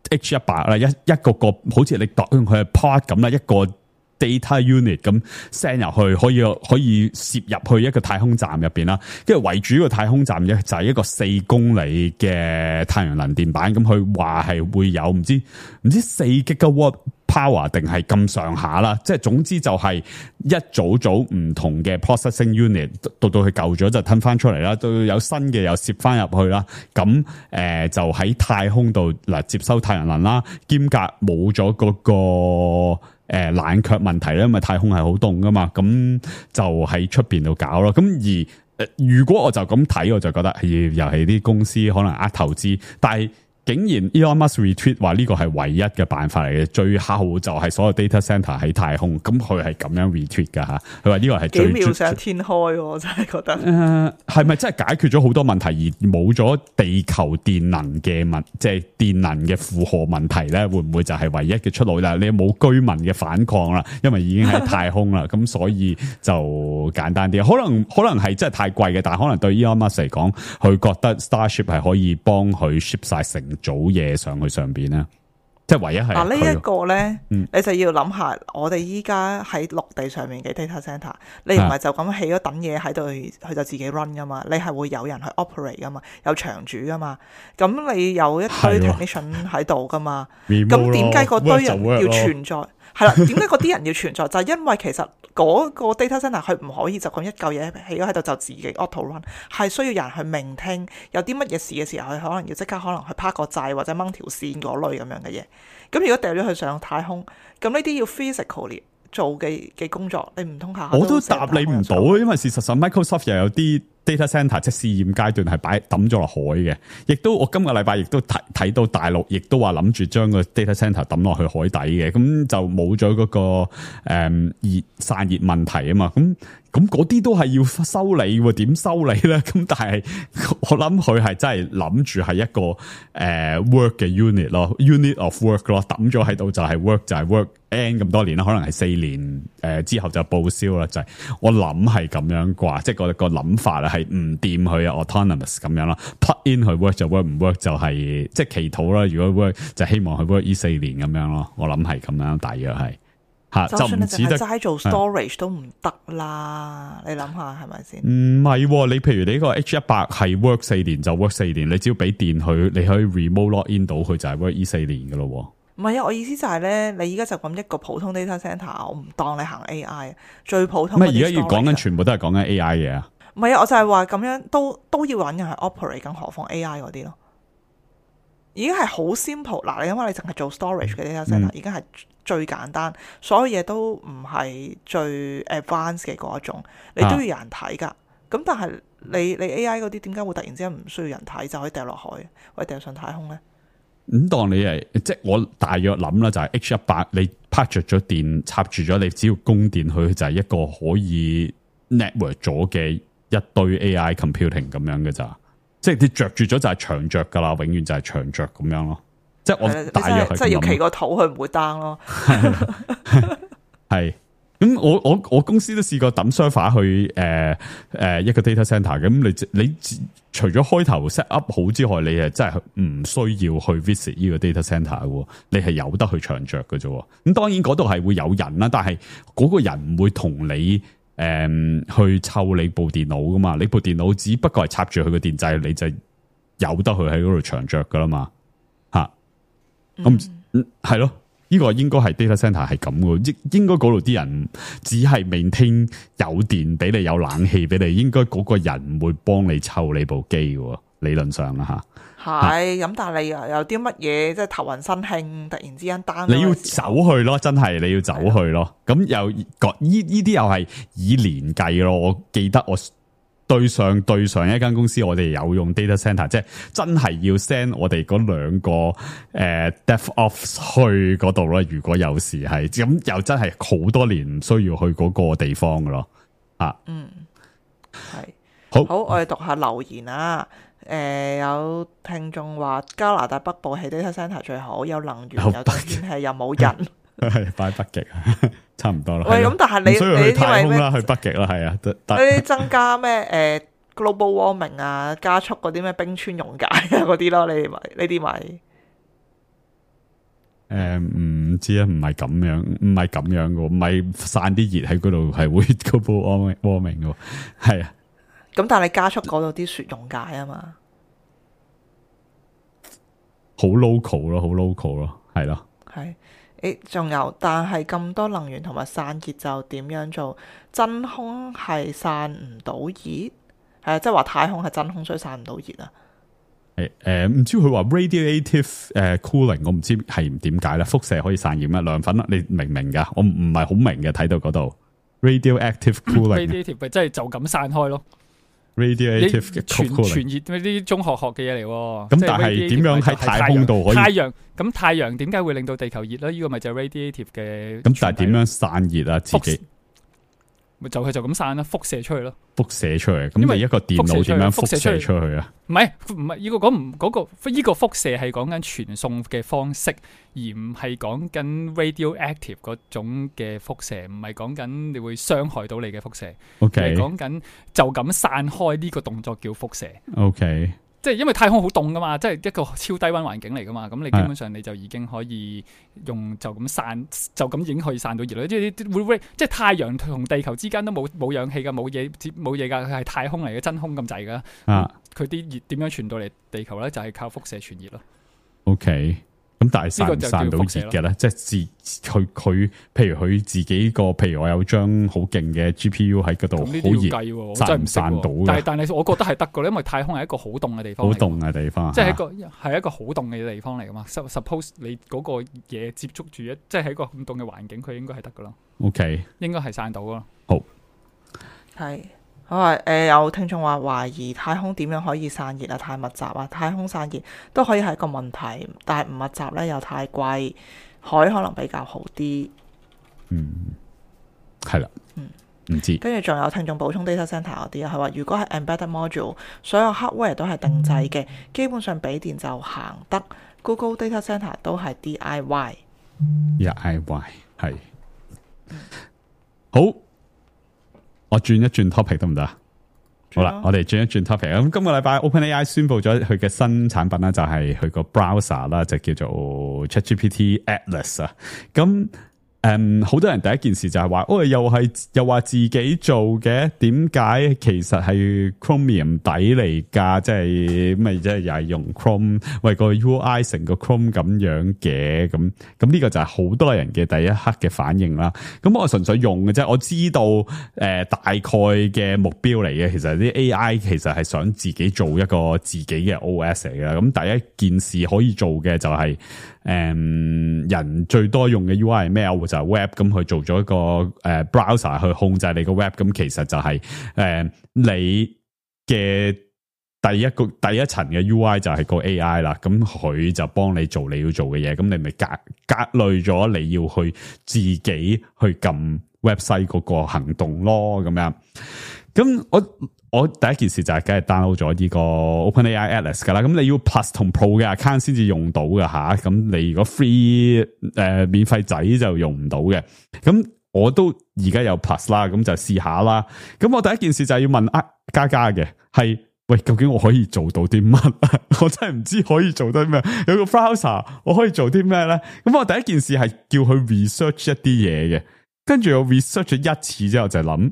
H100 啦，一個好似你當佢係 pod 咁啦，一個 data unit 咁 send 入去，可以攝入去一個太空站入邊啦，跟住圍住個太空站咧就係一個4公里嘅太陽能電板，咁佢話係會有唔知4 gigawatt power 定係咁上下啦，即係總之就係一組唔同嘅 processing unit， 到佢舊咗就吞翻出嚟啦，到有新嘅又攝翻入去啦，咁就喺太空度嗱接收太陽能啦，兼夾冇咗嗰個冷卻問題咧，因為太空係好凍噶嘛，咁就喺出邊度搞咯。咁而如果我就咁睇，我就覺得又係啲公司可能投資，但係竟然 Elon Musk retweet 話呢個係唯一嘅辦法嚟嘅，最後就係所有 data center 喺太空，咁佢係咁樣 retweet 噶吓，佢話呢個係最幾妙想天開，我真係覺得係咪真係解決咗好多問題而冇咗地球電能嘅即係電能嘅負荷問題咧？會唔會就係唯一嘅出路啦？你冇居民嘅反抗啦，因為已經喺太空啦，咁所以就簡單啲。可能係真係太貴嘅，但係可能對 Elon Musk 嚟講，佢覺得 Starship 係可以幫佢 ship 晒成組嘢上去上邊咧，即係唯一係嗱呢一個咧，你就要諗下，我哋依家喺陸地上面嘅 data center， 你唔係就咁起咗等嘢喺度，佢就自己 run 噶嘛，你係會有人去 operate 噶嘛，有場主噶嘛，咁你有一堆 technician 喺度噶嘛，咁點解嗰堆人要存在？係啦，點解嗰啲人要存在？就係因為其實嗰個 data center 佢唔可以就咁一嚿嘢起咗喺度就自己 auto run， 係需要人去聆聽，有啲乜嘢事嘅時候，佢可能要即刻可能去拍個掣或者掹條線嗰類咁樣嘅嘢。咁如果掉咗佢上太空，咁呢啲要 physically 做嘅工作，你唔通下我都答你唔到，因為事實上 Microsoft 又有啲 data center 即係試驗階段係抌咗落海嘅，亦都我今個禮拜亦都睇到大陸亦都話諗住將個 data center 抌落去海底嘅，咁就冇咗嗰個散熱問題啊嘛，咁嗰啲都係要修理喎，點修理咧？咁但係我諗佢係真係諗住係一個work 嘅 unit 咯 ，unit of work 咯，抌咗喺度就係 work 就係 work N 咁多年啦，可能係4年之後就報銷啦，就係我諗係咁樣啩，即係個諗法啦，係唔掂佢啊 autonomous 咁樣啦 ，plug in 去 work 就 work， 唔 work 就係即係祈禱啦。如果 work 就希望佢 work 呢4年咁樣咯，我諗係咁樣，大約係。就算你淨係齋做 storage 都唔得啦，你諗下係咪先？唔係，你譬如你呢個 H100 係 work 4年就 work 4年，你只要俾電佢，你可以 remote log in 到佢就係 work 呢4年噶咯。唔係啊，我意思就係咧，你而家就咁一個普通 data center， 我唔當你行 AI， 最普通。咩而家要講緊全部都係講緊 AI 嘅啊？唔係啊，我就係話咁樣都要揾人去 operate， 更何況 AI 嗰啲咯。已經係好 simple 嗱，你因為你淨係做 storage 嘅 data center， 已經係最簡單，所有嘢都唔係最 advanced 嘅嗰一種，你都要有人睇噶。咁但係你 AI 嗰啲點解會突然之間唔需要人睇就可以掉落海或者掉上太空咧？咁當你係即係我大約諗啦，就係 H100 你拍着咗電插住咗，你只要供電佢就係一個可以 network 咗嘅一堆 AI computing 咁樣嘅咋。即係你着住咗就係長着噶啦，永遠就係長着咁樣咯。即係我大約係即係要企個肚，佢唔會 down 咯。係咁，我公司都試過抌 server 去一個 data center。咁你除咗開頭 set up 好之外，你係真係唔需要去 visit 呢個 data center 嘅。你係有得去長着嘅啫。咁當然嗰度係會有人啦，但係嗰個人唔會同你。去湊你部電腦噶嘛？你部電腦只不過係插住佢個電掣，你就有得去喺嗰度長着噶啦嘛？吓，咁係咯，呢呢個應該係 data center 係咁嘅，應該嗰度啲人只係 maintain 有電俾你，有冷氣俾你，應該嗰個人唔會幫你湊你部機嘅，理論上啦吓。係咁，但係你又有啲乜嘢即係頭暈身興，突然之間 down，你要走去咯，真係你要走去咯。咁又呢啲又係以年計咯。我記得我對上一間公司，我哋有用 data center， 即係真係要 send 我哋嗰兩個DevOps 去嗰度咯。如果有時係咁，又真係好多年唔需要去嗰個地方噶咯。啊，係好，我哋讀下留言啊。有聽眾話加拿大北部起 data center 最好，有能源，有天氣，又冇人。係擺北極，差唔多啦。喂，咁但係你需要去太空啦，去北極啦，係啊。呢啲增加咩global warming 啊，加速嗰啲咩冰川溶解啊嗰啲咯，你咪呢啲咪唔知啊，唔係咁樣嘅，唔係散啲熱喺嗰度係會 global warming 嘅，係啊。咁但係你加速嗰度啲雪溶解啊嘛，好 local 咯，好 local 咯，係咯。係仲有，但係咁多能源同埋散熱就點樣做？真空係散唔到熱，係啊，即係話太空係真空，所以散唔到熱啊。唔知佢話 radiative cooling， 我唔知係點解啦。輻射可以散熱咩？涼粉啦，你明唔明噶？我唔係好明嘅，睇到嗰度 radioactive cooling，radiative 即係就咁散開咯。radiative 嘅傳熱呢啲中學學嘅嘢嚟，咁但係點樣喺太空度可以？太陽點解會令到地球熱咧？呢個咪就係 radiative 嘅。咁但係點樣散熱啊？自己咪就咁散啦，輻射出去咯。輻射出去，咁你一個電腦點樣輻射出去啊？唔係呢個呢個輻射係講緊傳送嘅方式，而唔係講緊 radioactive 嗰種嘅輻射，唔係講緊你會傷害到你嘅輻射。OK，係講緊就咁散開呢個動作叫輻射。OK。即係因為太空好凍噶嘛，即係一個超低溫環境嚟噶嘛，咁你基本上你就已經可以用就咁散，就咁已經可以散到熱啦。即係太陽同地球之間都冇氧氣噶，冇嘢噶，佢係太空嚟嘅，真空咁滯噶。佢啲熱點樣傳到嚟地球咧？就係靠輻射傳熱咯。OK。咁但係散唔散到熱嘅咧？即係佢，譬如佢自己個，譬如我有張好勁嘅 GPU 喺嗰度，好熱，散唔散到嘅？但係我覺得係得噶，因為太空係一個好凍嘅地方，好凍嘅地方，即係一個好凍嘅地方嚟噶嘛。Suppose 你嗰個嘢接觸住即係喺個咁凍嘅環境，佢應該係得噶咯。OK， 應該係散到咯。好，係。好啊！有聽眾話懷疑太空點樣可以散熱啊？太密集啊！太空散熱都可以係一個問題，但係唔密集咧又太貴，海可能比較好啲。係啦。唔知。跟住仲有聽眾補充 data center 嗰啲啊，係話如果係 embedded module， 所有 hardware 都係定製嘅，基本上俾電就行得。Google data center 都係 DIY。係。好。我轉一轉 topic 得唔得？好啦，我哋轉一轉 topic。咁今個禮拜 OpenAI 宣布咗佢嘅新產品啦，就係佢個 browser 啦，就叫做 ChatGPT Atlas 啊。咁好多人第一件事就係話，又話自己做嘅，點解其實係 Chromium 底嚟㗎？即係咪即係又係用 Chrome 為個 UI 成個 Chrome 咁樣嘅？咁呢個就係好多人嘅第一刻嘅反應啦。咁我純粹用嘅啫，我知道大概嘅目標嚟嘅。其實啲 AI 其實係想自己做一個自己嘅 OS 嚟嘅。咁第一件事可以做嘅就係人最多用嘅 UI 係咩？就係 Web， 咁佢做咗一個browser 去控制你個 Web， 咁其實就係你嘅第一層嘅 UI 就係個 AI 啦，咁佢就幫你做你要做嘅嘢，咁你咪隔累咗你要去自己去撳 website 嗰個行動咯，咁樣。咁我第一件事就係梗係 download 咗呢個 OpenAI Atlas 噶啦，咁你要 Plus 同 Pro 嘅 account 先至用到㗎吓，咁你如果 free 免費仔就用唔到嘅。咁我都而家有 Plus 啦，咁就試下啦。咁我第一件事就係要問嘉嘉嘅係，喂，究竟我可以做到啲乜？我真係唔知可以做到啲咩。有個 browser 我可以做啲咩咧？咁我第一件事係叫佢 research 一啲嘢嘅，跟住我 research 咗一次之後就諗。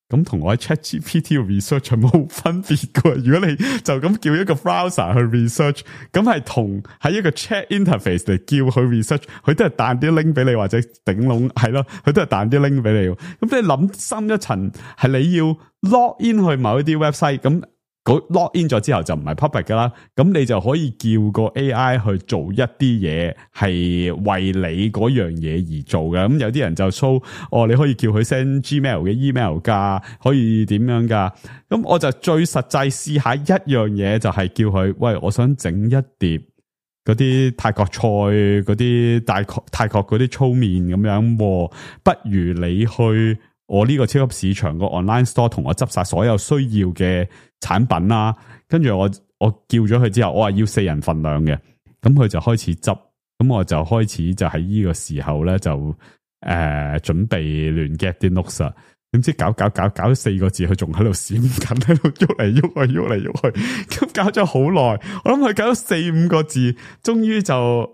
咁咁同我喺 ChatGPT 嘅 research 係冇分別嘅。如果你就咁叫一個 browser 去 research， 咁係同喺一個 chat interface 嚟叫佢 research， 佢都係彈啲 link 俾你，或者頂籠係咯，佢都係彈啲 link 俾你。咁你諗深一層，係你要 log in 去某一啲 website， 咁log in 咗之後就唔係 public 噶啦，咁你就可以叫個 AI 去做一啲嘢，係為你嗰樣嘢而做嘅。咁有啲人就 show，你可以叫佢 send Gmail 嘅 email 噶，可以點樣噶。咁我就最實際試下一樣嘢，就係叫佢，喂，我想整一碟嗰啲泰國菜，嗰啲泰國嗰啲粗麵咁樣，不如你去我呢個超級市場個 online store 同我執晒所有需要嘅產品啦，跟住我叫咗佢之後，我話要4人份量嘅，咁佢就開始執，咁我就開始就喺呢個時候咧就準備亂 get 啲 notes 啊，點知搞咗4個字，佢仲喺度閃緊，喺度喐嚟喐去，咁搞咗好耐，我諗佢搞咗4-5個字，終於就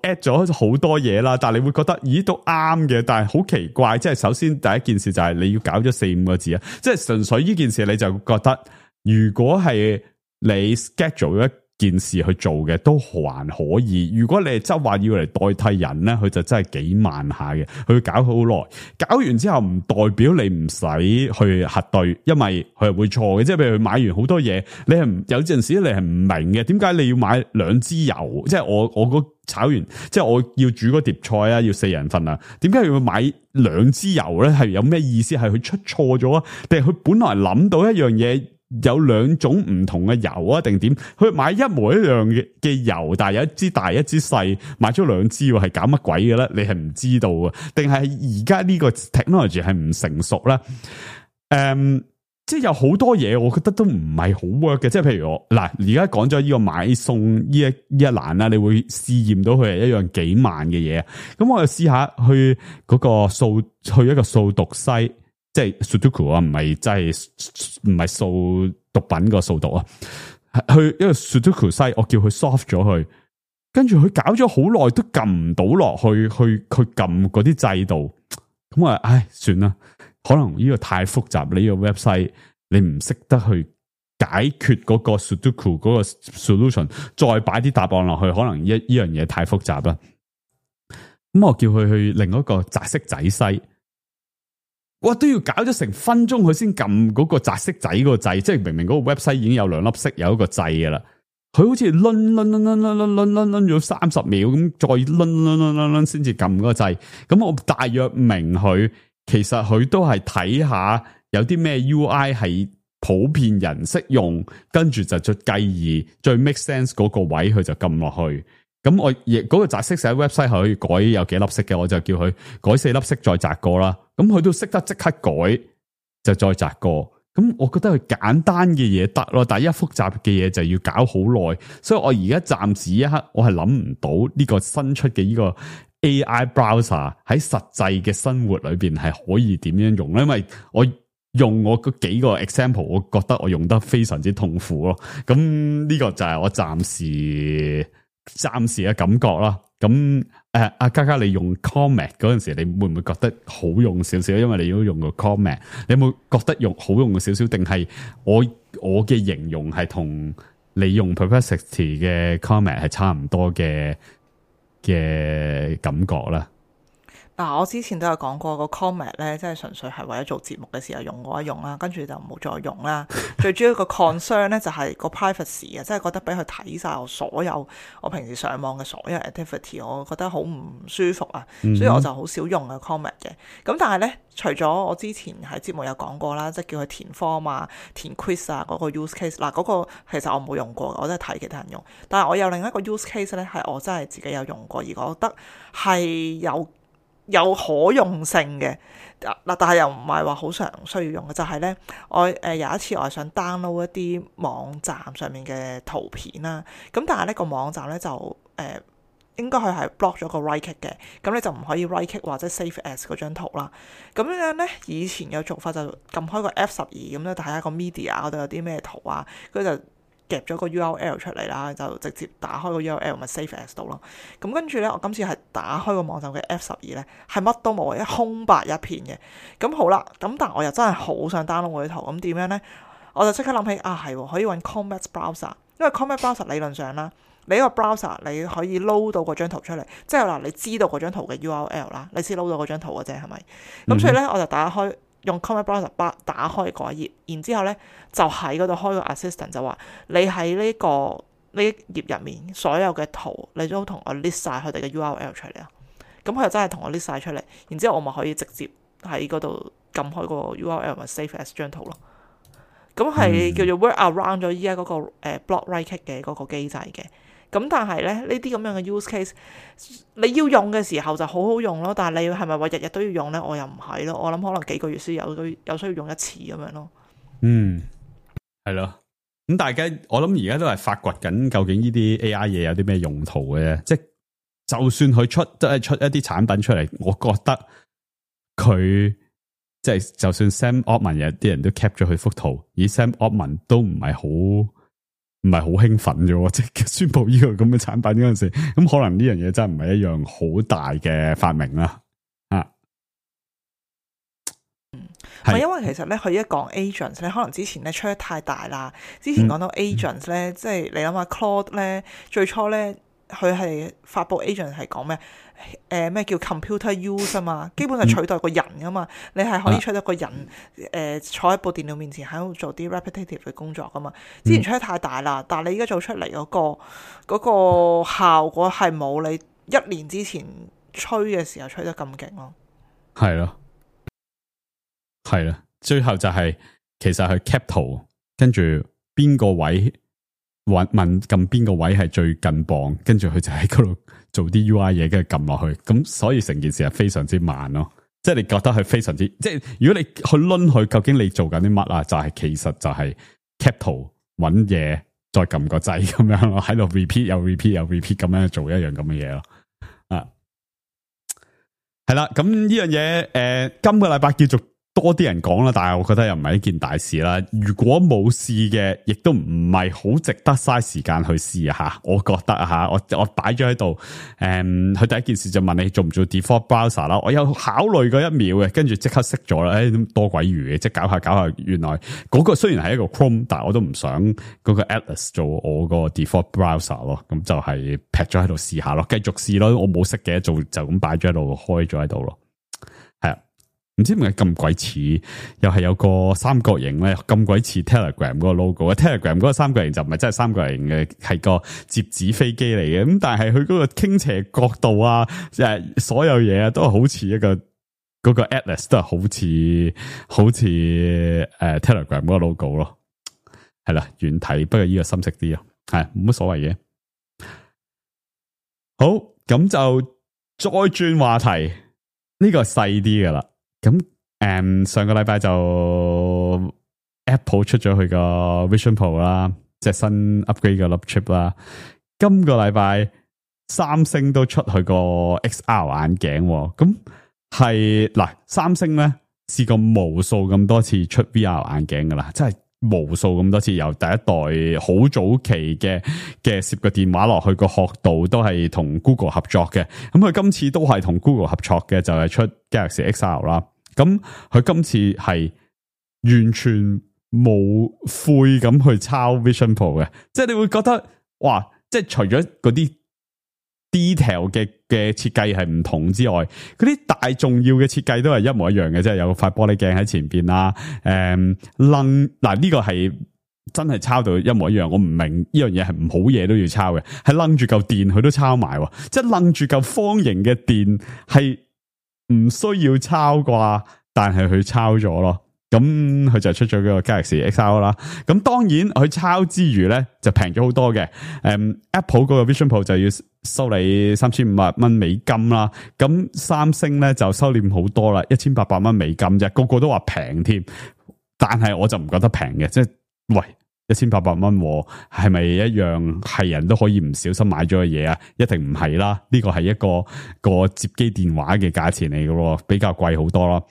add 咗好多嘢啦。但係你會覺得咦都啱嘅，但係好奇怪，即係首先第一件事就係你要搞咗4-5個字啊，即係純粹呢件事你就覺得如果係你 schedule 一件事去做嘅都還可以，如果你係執話要嚟代替人咧，佢就真係幾慢下嘅，佢搞好耐，搞完之後唔代表你唔使去核對，因為佢係會錯嘅，即係譬如買完好多嘢，你係有陣時你係唔明嘅，點解你要買2支油？即係我炒完，即係我要煮嗰碟菜啊，要4人份啊，點解要買2支油咧？係有咩意思？係佢出錯咗啊？定係佢本來諗到一樣嘢？有2種唔同嘅油啊，定點？佢買一模一樣嘅油，但係有一支大一支細，買咗2支，係搞乜鬼嘅咧？你係唔知道啊？定係而家呢個 technology 係唔成熟咧？即係有好多嘢，我覺得都唔係好 work 嘅。即係譬如我嗱，而家講咗呢個買餸呢一欄啦，你會試驗到佢係一樣幾慢嘅嘢。咁我就試下去嗰個去一個掃毒西。即係 Sudoku 啊，唔係真係唔係掃毒品個掃毒啊，去一個 Sudoku 西，我叫佢 solve 咗佢，跟住佢搞咗好耐都撳唔到落去撳嗰啲掣度，咁我唉算啦，可能呢個太複雜，你呢個 website 你唔識得去解決嗰個 Sudoku 嗰個 solution， 再擺啲答案落去，可能呢樣嘢太複雜啦。咁我叫佢去另一個擲色仔西。哇！都要搞咗成分鐘，佢先撳嗰個擲色仔嗰個掣，即係明明嗰個 website 已經有2粒色，有一個掣嘅啦。佢好似掄咗30秒咁，再掄先至撳嗰個掣。咁我大約明佢，其實佢都係睇下有啲咩 UI 係普遍人識用，跟住就再繼而最 make sense 嗰個位，佢就撳落去。咁我亦嗰個擲色喺 website 可以改有幾粒色嘅，我就叫佢改4粒色再擲過啦。咁佢都識得即刻改，就再擲過。咁我覺得佢簡單嘅嘢得咯，但係一複雜嘅嘢就要搞好耐。所以我而家暫時一刻我係諗唔到呢個新出嘅呢個 AI browser 喺實際嘅生活裏邊係可以點樣用咧？因為我用我嗰幾個 example， 我覺得我用得非常之痛苦咯。咁呢個就係我暫時嘅感覺啦。咁阿嘉嘉，你用 Comet 嗰陣時，你會唔會覺得好用少少？因為你都用過 Comet， 你有冇覺得好用少少？定係我嘅形容係同你用 Perplexity 嘅 Comet 係差唔多嘅感覺啦？嗱，我之前都有講過個 Comet 咧，即係純粹係為咗做節目嘅時候用過一用啦，跟住就冇再用啦。最主要個 concern 咧就係個 privacy 啊，即係覺得俾佢睇晒我平時上網嘅所有 activity， 我覺得好唔舒服啊，所以我就好少用個 Comet 嘅。咁但係咧，除咗我之前喺節目有講過啦，即係叫佢填 form 啊、填 quiz 啊嗰個 use case， 嗱嗰個其實我冇用過，我都係睇其他人用。但係我有另一個 use case 咧，係我真係自己有用過，而我覺得係有可用性嘅嗱，但係又唔係話好常需要用嘅，就係咧，我有一次我係想 download 一啲網站上面嘅圖片啦，咁但係呢個網站咧就應該佢係 block 咗個 right click 嘅，咁你就唔可以 right click 或者 save as 嗰張圖啦。咁樣咧，以前嘅做法就撳開個 F12咁咧，睇下個 media 嗰度有啲咩圖啊，佢就夾咗個 URL 出嚟啦，就直接打開個 URL 咪 save as 到咯。咁跟住咧，我今次係打開個網站嘅 F12咧，係乜都冇，一空白一片嘅。咁好啦，咁但我又真係好想 download 嗰啲圖，咁點樣咧？我就即刻諗起係可以揾 Comet Browser， 因為 Comet Browser 理論上啦，你呢個 browser 你可以 load 到嗰張圖出嚟，即係嗱你知道嗰張圖嘅 URL 啦，你先 load 到嗰張圖嘅啫，係咪？咁所以咧，我就打開用 Comet Browser 打開嗰一頁，然之後咧就喺嗰度開個 assistant 就話你喺呢頁入面所有嘅圖，你都同我 list 晒佢哋嘅 URL 出嚟啊。咁佢就真係同我 list 晒出嚟，然之後我咪可以直接喺嗰度撳開個 URL 咪 save as 張圖咯。咁係叫做 work around 咗依家嗰個block right click 嘅嗰個機制嘅。咁但係咧，呢啲咁樣嘅 use case， 你要用嘅時候就好好用咯。但係你係咪話日日都要用咧？我又唔係咯。我諗可能幾個月先有需要用一次咁樣咯。係咯。咁大家我諗而家都係發掘緊究竟呢啲 AI 嘢有啲咩用途嘅啫。即係就算佢出一啲產品出嚟，我覺得佢即係就算 Sam Altman 有啲人都 cap 咗佢幅圖，而 Sam Altman 都唔係好興奮啫，即係宣布呢個咁嘅產品嗰陣時，咁可能呢樣嘢真係唔係一樣好大嘅發明啦。因為其實咧，佢一講 agents 咧，可能之前咧吹得太大啦。之前講到 agents 咧，即係你諗下 Claude 咧，最初咧佢係發布 agent 係講咩？咩叫 computer use 啊嘛，基本上取代個人噶嘛，你係可以取代個人坐喺部電腦面前喺度做啲 repetitive 嘅工作噶嘛。之前吹得太大啦，但係你而家做出嚟嗰個效果係冇你1年之前吹嘅時候吹得咁勁咯。係咯，係啦，最後就係其實係 cap 圖，跟住邊個位問撳邊個位係最近磅，跟住佢就喺嗰度做啲 UI 嘢，跟住撳落去，咁所以成件事係非常之慢咯。即係你覺得佢非常之，即係如果你去掄佢，究竟你做緊啲乜啊？就係其實就係 cap 圖搵嘢，再撳個掣咁樣咯，喺度 repeat 又 repeat 又 repeat 咁樣做一樣咁嘅嘢咯。係啦，咁呢樣嘢今個禮拜叫做多啲人講啦，但係我覺得又唔係一件大事啦。如果冇試嘅，亦都唔係好值得嘥時間去試下。我覺得我擺咗喺度，佢第一件事就問你做唔做 default browser 啦。我有考慮過1秒嘅，跟住即刻熄咗啦。多鬼餘嘅，即係搞下，原來嗰個雖然係一個 Chrome， 但係我都唔想嗰個 Atlas 做我個 default browser 咯。咁就係劈咗喺度試下咯，繼續試咯。我冇熄嘅，就咁擺咗喺度，開咗喺度咯。係啊。唔知點解咁鬼似，又係有個三角形咧，咁鬼似 Telegram 嗰個 logo。Telegram 嗰個三角形就唔係真係三角形嘅，係個折紙飛機嚟嘅。咁但係佢嗰個傾斜角度啊，所有嘢啊，都係好似一個嗰個 Atlas 都係好似Telegram 嗰個 logo 咯。係啦，遠睇，不過呢個深色啲咯，係冇乜所謂嘅。好，咁就再轉話題，呢個係細啲噶啦。咁上個禮拜就 Apple 出咗佢個 Vision Pro 啦，即係新 upgrade 嘅粒 chip 啦。今個禮拜三星都出佢個 XR 眼鏡，咁係嗱，三星咧試過無數咁多次出 VR 眼鏡噶啦，真係無數咁多次，由第一代好早期嘅攝個電話落去個殼度都係同 Google 合作嘅，咁佢今次都係同 Google 合作嘅，就係出 Galaxy XR 啦。咁佢今次係完全冇悔咁去抄 Vision Pro 嘅，即係你會覺得哇，即係除咗嗰啲 detail 嘅設計係唔同之外，嗰啲大重要嘅設計都係一模一樣嘅，即係有塊玻璃鏡喺前邊啦，嗱呢個係真係抄到一模一樣。我唔明呢樣嘢係唔好嘢都要抄嘅，係掕住嚿電佢都抄埋，即係掕住嚿方形嘅電係唔需要抄啩，但係佢抄咗咯。咁佢就出咗個 Galaxy XR 啦。咁當然佢抄之餘咧就平咗好多嘅。Apple 嗰個 Vision Pro 就要收你$3500美金啦。咁三星咧就收斂好多啦，$1800美金啫。個個都話平添，但係我就唔覺得平嘅。即係喂， 1800蚊，係咪一樣係人都可以唔小心買咗嘅嘢啊？一定唔係啦，呢個係一個接機電話嘅價錢嚟嘅咯，比較貴好多咯。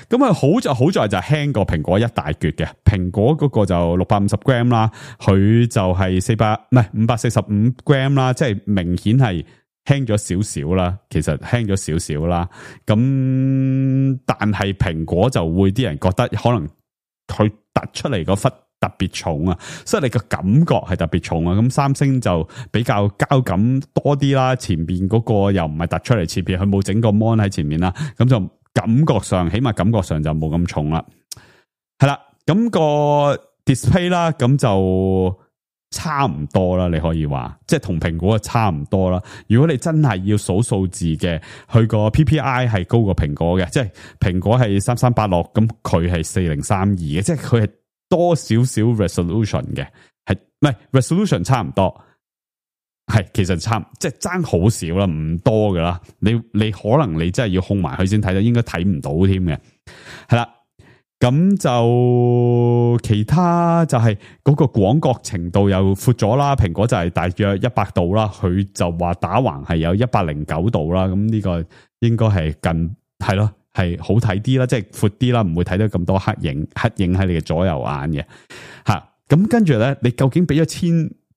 咁啊好在就輕過蘋果一大橛嘅，蘋果嗰個就650 gram 啦，佢就係545 gram 啦，即係明顯係輕咗少少啦，其實輕咗少少啦。咁但係蘋果就會啲人覺得可能佢突出嚟嗰忽特別重啊，所以你個感覺係特別重啊。咁三星就比較膠感多啲啦，前邊嗰個又唔係突出嚟，前邊佢冇整個 mon 喺前面啦，咁就感覺上起碼感覺上就冇咁重啦。係啦，咁個 display 啦，咁就差唔多啦，你可以話即係同蘋果差唔多啦。如果你真係要數數字嘅，佢個 PPI 係高過蘋果嘅，即係蘋果係3386，咁佢係4032嘅，即係佢係多少少 resolution 嘅，係唔係 resolution 差唔多，係其實即係爭好少啦，唔多噶啦。你可能你真係要控埋佢先睇到，應該睇唔到添嘅。係啦，咁就其他就係嗰個廣角程度又闊咗啦。蘋果就係大約100度啦，佢就話打橫係有109度啦。咁呢個應該係係咯。係好睇啲啦，即係闊啲啦，唔會睇到咁多黑影喺你嘅左右眼嘅吓。咁跟住咧，你究竟俾咗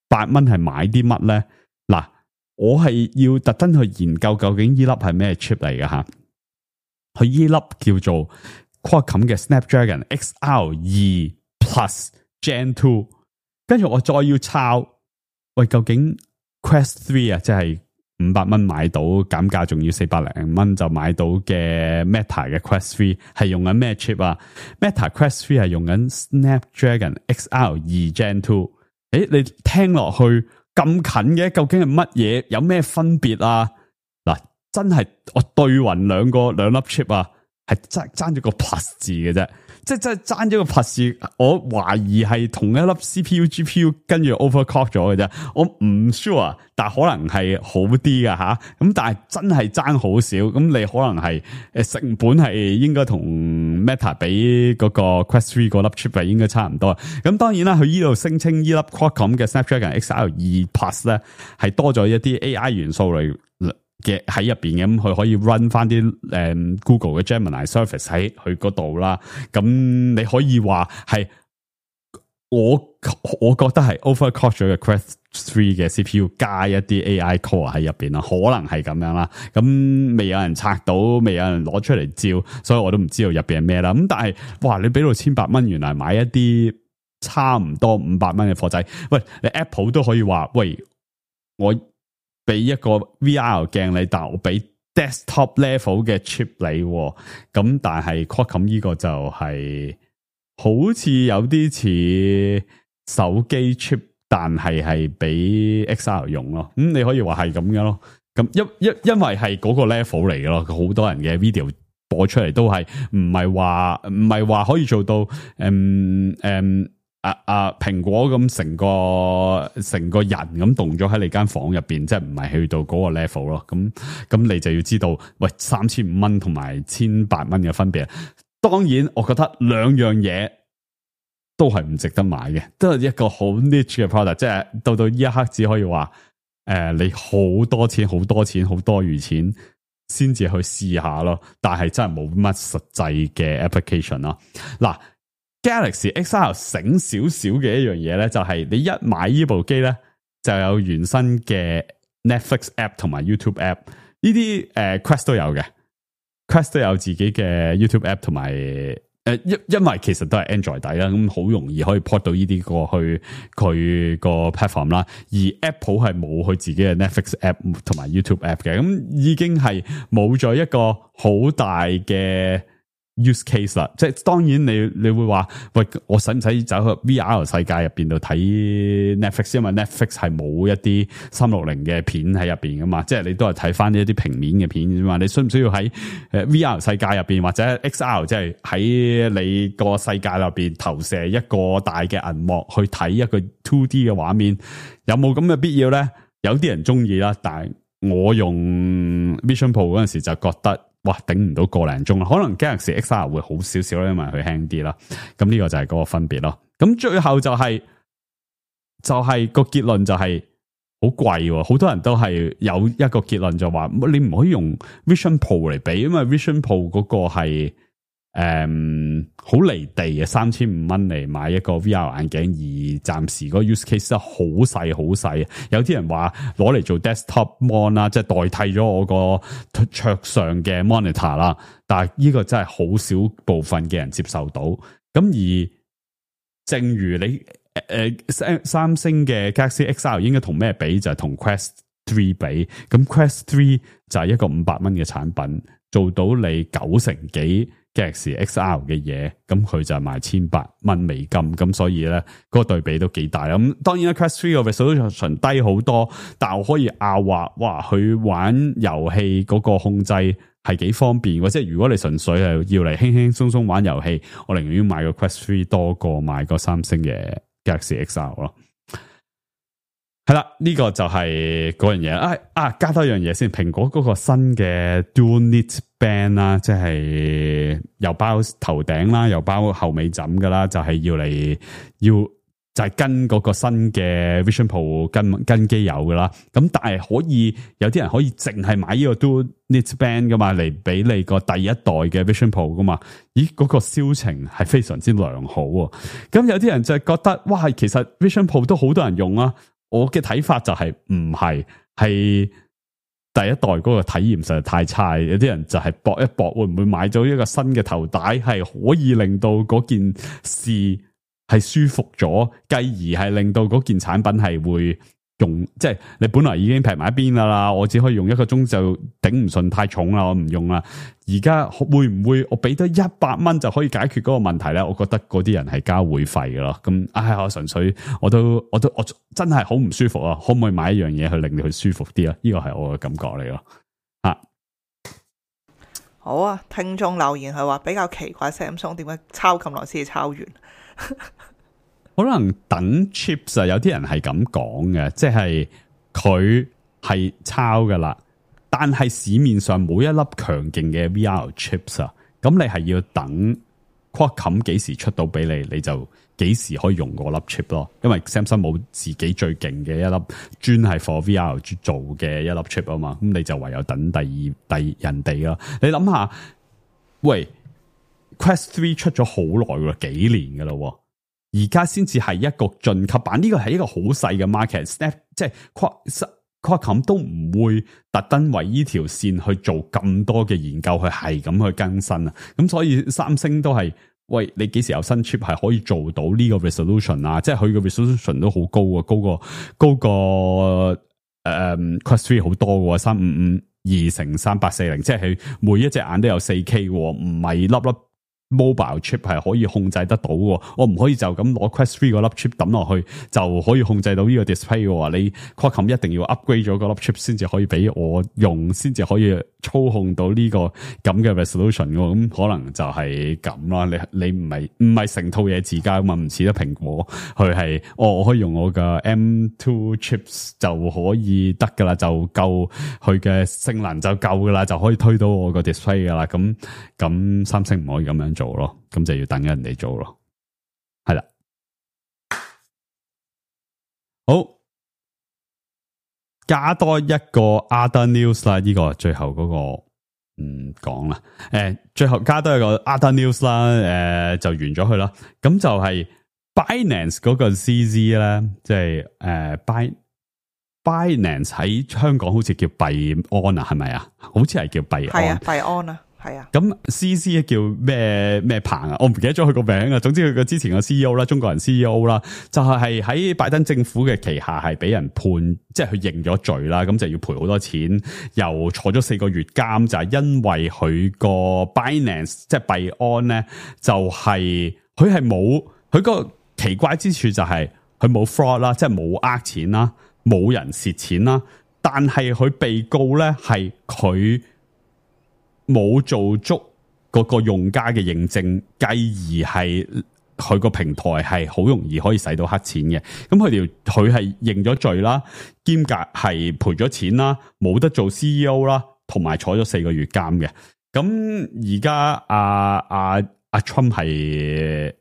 1800蚊係買啲乜咧？嗱，我係要特登去研究究竟呢粒係咩 chip 嚟嘅吓。佢呢粒叫做 Qualcomm 嘅 Snapdragon XR2 Plus Gen 2，跟住我再要抄，喂，究竟 Quest 3啊，即係500蚊買到，減價仲要400零蚊就買到嘅 Meta 嘅 Quest 3係用緊咩 chip 啊？ Meta Quest 3係用緊 Snapdragon XR2 Gen 2。你聽落去咁近嘅，究竟係乜嘢？有咩分別啊？嗱，真係我對匀兩粒 chip 啊，係爭咗個 plus 字嘅啫。即係真係爭咗個 plus，我懷疑係同一粒 CPU、GPU 跟住 overclock 咗嘅啫。我唔 sure， 但可能係好啲㗎吓。咁但係真係爭好少。咁你可能係成本係應該同 Meta 比嗰個 Quest 3嗰粒 chip 係應該差唔多。咁當然啦，佢呢度聲稱呢粒 Qualcomm 嘅 Snapdragon XR2 Plus 咧係多咗一啲 AI 元素嚟嘅喺入邊嘅，咁佢可以 run 翻啲Google 嘅 Gemini Service 喺佢嗰度啦。咁你可以話係我覺得係 overclock 咗嘅 Quest 3嘅 CPU 加一啲 AI core 喺入邊啦，可能係咁樣啦。咁未有人拆到，未有人攞出嚟照，所以我都唔知道入邊係咩啦。咁但係哇，你俾到1800蚊，原來買一啲差唔多500蚊嘅貨仔，喂，你 Apple 都可以話，喂，我俾一個 VR 鏡你，但我俾 desktop level 嘅 chip 你，咁但係 Qualcomm 呢個就係好似有啲似手機 chip， 但係俾 XR 用咯。你可以話係咁樣咯。咁因為係嗰個 level 嚟嘅咯，好多人嘅 video 播出嚟都係唔係話可以做到蘋果咁成個人咁動咗喺你間房入邊，即係唔係去到嗰個 level 咯。咁你就要知道，喂，3500蚊同埋1800蚊嘅分別。當然，我覺得兩樣嘢都係唔值得買嘅，都係一個好 niche 嘅 product。即係到呢一刻，只可以話，你好多錢，好多餘錢，先至去試下咯。但係真係冇乜實際嘅 application 咯。嗱。Galaxy XR 醒少少嘅一樣嘢咧，就係你一買呢部機咧，就有原生嘅 Netflix app 同埋 YouTube app。呢啲Quest 都有嘅，Quest 都有自己嘅 YouTube app 同埋因為其實都係 Android 底啦，咁好容易可以 port 到呢啲過去佢個 platform 啦。而 Apple 係冇佢自己嘅 Netflix app 同埋 YouTube app 嘅，咁已經係冇咗一個好大嘅use case 啦，即係當然你會話，喂，我使唔使走去 VR 世界入邊度睇 Netflix？ 因為 Netflix 係冇一啲360嘅片喺入邊噶嘛，即係你都係睇翻呢一啲平面嘅片啫嘛。你需唔需要喺VR 世界入邊或者 XR， 即係喺你個世界入邊投射一個大嘅銀幕去睇一個 2D 嘅畫面？有冇咁嘅必要咧？有啲人中意啦，但係我用 Vision Pro 嗰陣時就覺得，哇，頂唔到個零鐘啦，可能 Galaxy XR 會好少少啦，因為佢輕啲啦。咁呢個就係嗰個分別咯。咁最後就係就係個結論就係好貴喎，好多人都係有一個結論就話，你唔可以用 Vision Pro 嚟比，因為 Vision Pro 嗰個係好離地嘅，3500嚟買一個 VR 眼鏡，而暫時個 use case 都好細好細。有啲人話攞嚟做 desktop mon 啦，即係代替咗我個桌上嘅 monitor 啦。但係呢個真係好少部分嘅人接受到。咁而正如你三星嘅 Galaxy XR 應該同咩比？就係同 Quest 3比。咁 Quest 3就係一個500蚊嘅產品，做到你90%幾 Galaxy XR 嘅嘢，咁佢就係賣1800蚊美金，咁所以咧嗰個對比都幾大。咁當然啦 ，Quest 3個 resolution 低好多，但我可以拗話，哇，佢玩遊戲嗰個控制係幾方便，或者如果你純粹係要嚟輕輕鬆鬆玩遊戲，我寧願買個 Quest 3多過買個三星嘅 Galaxy XR 咯。係啦，呢個就係嗰樣嘢。加多一樣嘢先，蘋果嗰個新嘅 Dual Knit Band 啦，即係又包頭頂啦，又包後尾枕噶啦，就係就係跟嗰個新嘅 Vision Pro 跟機有噶啦。咁但係可以有啲人可以淨係買呢個 Dual Knit Band 噶嘛，嚟俾你個第一代嘅 Vision Pro 噶嘛。咦，嗰個銷情係非常之良好喎。咁有啲人就係覺得，哇，其實 Vision Pro 都好多人用啊。我嘅睇法就係唔係第一代嗰個體驗實在太差，有啲人就係搏一搏，會唔會買咗一個新嘅頭帶，係可以令到嗰件事係舒服咗，繼而係令到嗰件產品係會用，即係你本來已經劈埋一邊啦，我只可以用1個鐘就頂唔順，太重啦，我唔用啦。而家會唔會我俾得100蚊就可以解決嗰個問題咧？我覺得嗰啲人係交會費嘅咯。咁我純粹我真係好唔舒服啊！可唔可以買一樣嘢去令到佢舒服啲啊？呢個係我嘅感覺嚟咯。好啊，聽眾留言係話比較奇怪 Samsung 點解抄咁耐先至抄完？可能等 chips 啊，有啲人係咁講嘅，即係佢係抄噶啦，但係市面上冇一粒強勁嘅 VR chips 啊，咁你係要等 Qualcomm 幾時出到俾你，你就幾時可以用嗰粒 chip 咯。因為 Samsung 冇自己最勁嘅一粒專係 for VR 做嘅一粒 chip 啊嘛，咁你就唯有等第二人哋啦。你諗下，喂 Quest 3出咗好耐喎，幾年噶啦。而家先至係一個進級版，呢個係一個好細嘅 market， 即係 Qualcomm 都唔會特登為呢條線去做咁多嘅研究，去係咁去更新啊。咁所以三星都係，喂，你幾時有新 chip 係可以做到呢個 resolution 啊？即係佢嘅 resolution 都好高啊，高過Quest 3好多嘅，3552×3840，即係佢每一隻眼都有 4K， 唔係粒粒。Mobile chip 係可以控制得到嘅，我唔可以就咁攞 Quest 3嗰粒 chip 抌落去就可以控制到呢個 display 嘅。你 Qualcomm 一定要 upgrade 咗嗰粒 chip 先至可以俾我用，先至可以操控到呢個咁嘅 resolution 嘅。咁可能就係咁啦。你唔係成套嘢自家嘛，唔似得蘋果，佢係我可以用我嘅 M2 chips 就可以得噶啦，就夠佢嘅性能就夠噶啦，就可以推到我個 display 噶啦。咁三星唔可以咁樣做咯，咁就要等人哋做咯，係啦。好，加多一個 other news 啦，呢個最後嗰個講啦。最後加多一個 other news 啦，就完咗佢啦。咁就係 Binance 嗰個 CZ 咧，即係Binance 喺香港好似叫幣安啊，係咪啊？好似係叫幣安，係啊，幣安啊。係啊，咁 CZ 叫咩棚啊？我唔記得咗佢個名啊。總之佢個之前個 CEO 啦，中國人 CEO 啦，就係喺拜登政府嘅旗下係俾人判，即係佢認咗罪啦，咁就要賠好多錢，又坐咗4個月監，就係因為佢個 Binance 即係幣安咧，就係佢係冇佢個奇怪之處就係佢冇 fraud 啦，即係冇呃錢啦，冇人蝕錢啦，但係佢被告咧係佢冇做足嗰個用家嘅認證，繼而係佢個平台係好容易可以使到黑錢嘅。咁佢係認咗罪啦，兼夾係賠咗錢啦，冇得做 CEO 啦，同埋坐咗4個月監嘅。咁而家阿 Trump 係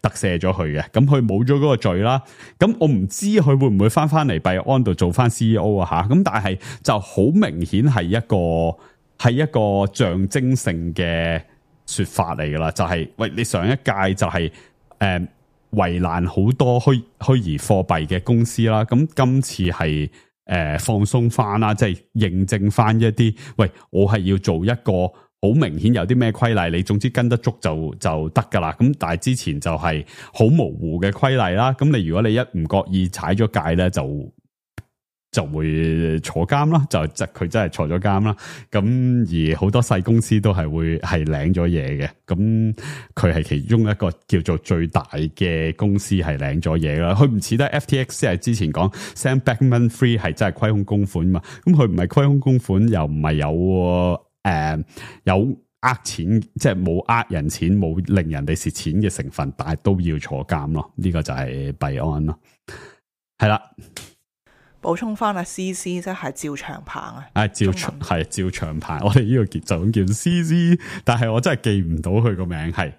特赦咗佢嘅，咁佢冇咗嗰個罪啦。咁我唔知佢會唔會翻嚟幣安度做翻 CEO 啊吓。咁但係就好明顯係一個象徵性嘅說法嚟噶啦，就係喂，你上一屆就係為難好多虛擬貨幣嘅公司啦，咁今次係放鬆翻啦，即係認證翻一啲，喂，我係要做一個好明顯有啲咩規例，你總之跟得足就得噶啦。咁但係之前就係好模糊嘅規例啦，咁你如果你一唔覺意踩咗界咧，就會坐監啦，佢真係坐咗監啦。咁而好多細公司都係會係領咗嘢嘅，咁佢係其中一個叫做最大嘅公司係領咗嘢啦。佢唔似得 FTX 係之前講 Sam Bankman-Fried 係真係虧空公款嘛，咁佢唔係虧空公款，又唔係有呃錢，即係冇呃人錢，冇令人哋蝕錢嘅成分，但係都要坐監咯。呢個就係幣安咯，係啦。補充翻啊 ，CC 即係趙長鵬啊，趙長鵬，我哋呢個就咁叫 CC， 但係我真係記唔到佢個名，係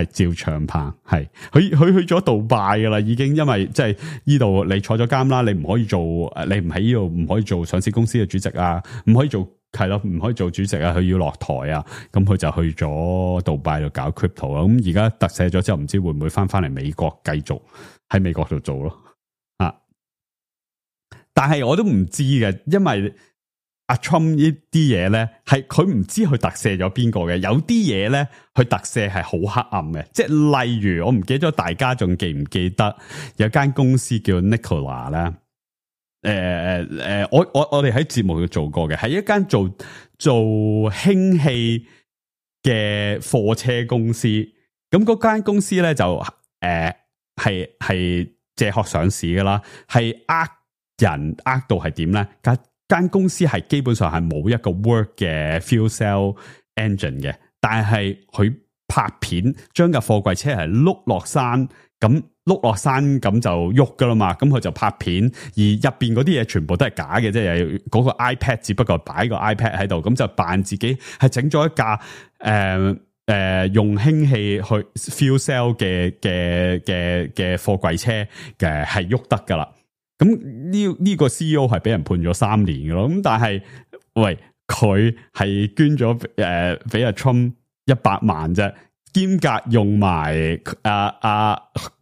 趙長鵬，係佢去咗杜拜噶啦，已經，因為即係呢度你坐咗監啦，你唔可以做，你唔喺呢度唔可以做上市公司嘅主席啊，唔可以做係咯，唔可以做主席啊，佢要落台啊，咁佢就去咗杜拜度搞 crypto 啦，咁而家特赦咗之後，唔知會唔會翻嚟美國繼續喺美國度做咯。但係我都唔知嘅，因為阿 Trump 呢啲嘢咧，係佢唔知佢特赦咗邊個嘅。有啲嘢咧，佢特赦係好黑暗嘅，即係例如我唔記得咗，大家仲記唔記得有間公司叫 Nikola 咧？我哋喺節目度做過嘅，係一間做氫氣嘅貨車公司。咁嗰間公司咧就係借殼上市噶啦，係人呃到係點咧？間公司係基本上係冇一個 work 嘅 fuel cell engine 嘅，但係佢拍片將架貨櫃車係碌落山，咁碌落山咁就喐噶啦嘛，咁佢就拍片，而入邊嗰啲嘢全部都係假嘅，即係嗰個 iPad 只不過擺個 iPad 喺度，咁就扮自己係整咗一架用氫氣去 fuel cell 嘅貨櫃車嘅係喐得噶啦。咁呢個 CEO 係俾人判咗3年嘅咯，咁但係喂，佢係捐咗俾阿 Trump 100萬啫，兼夾用埋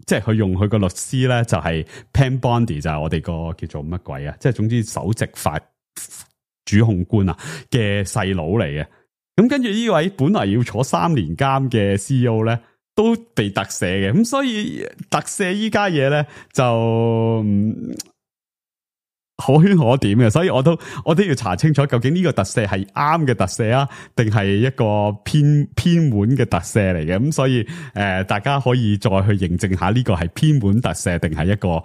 即係佢用佢個律師咧，就係 Pam Bondi，就係我哋個叫做乜鬼啊，即係總之首席法主控官啊嘅細佬嚟嘅。咁跟住呢位本來要坐3年監嘅 CEO 咧，都被特赦嘅，咁所以特赦依家嘢咧就可圈可點嘅，所以我都要查清楚究竟呢個特赦係啱嘅特赦啊，定係一個偏門嘅特赦嚟嘅，咁所以大家可以再去認證下呢個係偏門特赦定係一個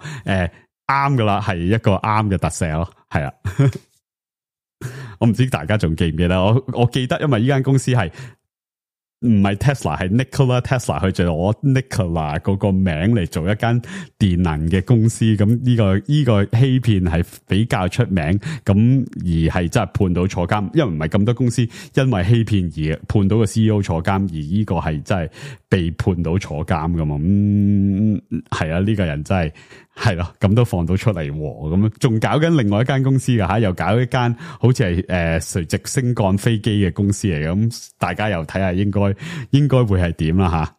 啱噶啦，係一個啱嘅特赦咯，係啊。我唔知大家仲記唔記得，我記得，因為呢間公司係唔係 Tesla， 係 Nikola Tesla， 佢就攞 Nikola 嗰個名嚟做一間電能嘅公司，咁呢個欺騙係比較出名，咁而係真係判到坐監，因為唔係咁多公司因為欺騙而判到個 CEO 坐監，而呢個係真係被判到坐監噶嘛，係啊，呢個人真係。係咯，咁都放到出嚟喎，咁仲搞緊另外一間公司噶吓，又搞一間好似係垂直升降飛機嘅公司嚟嘅，咁大家又睇下應該會係點啦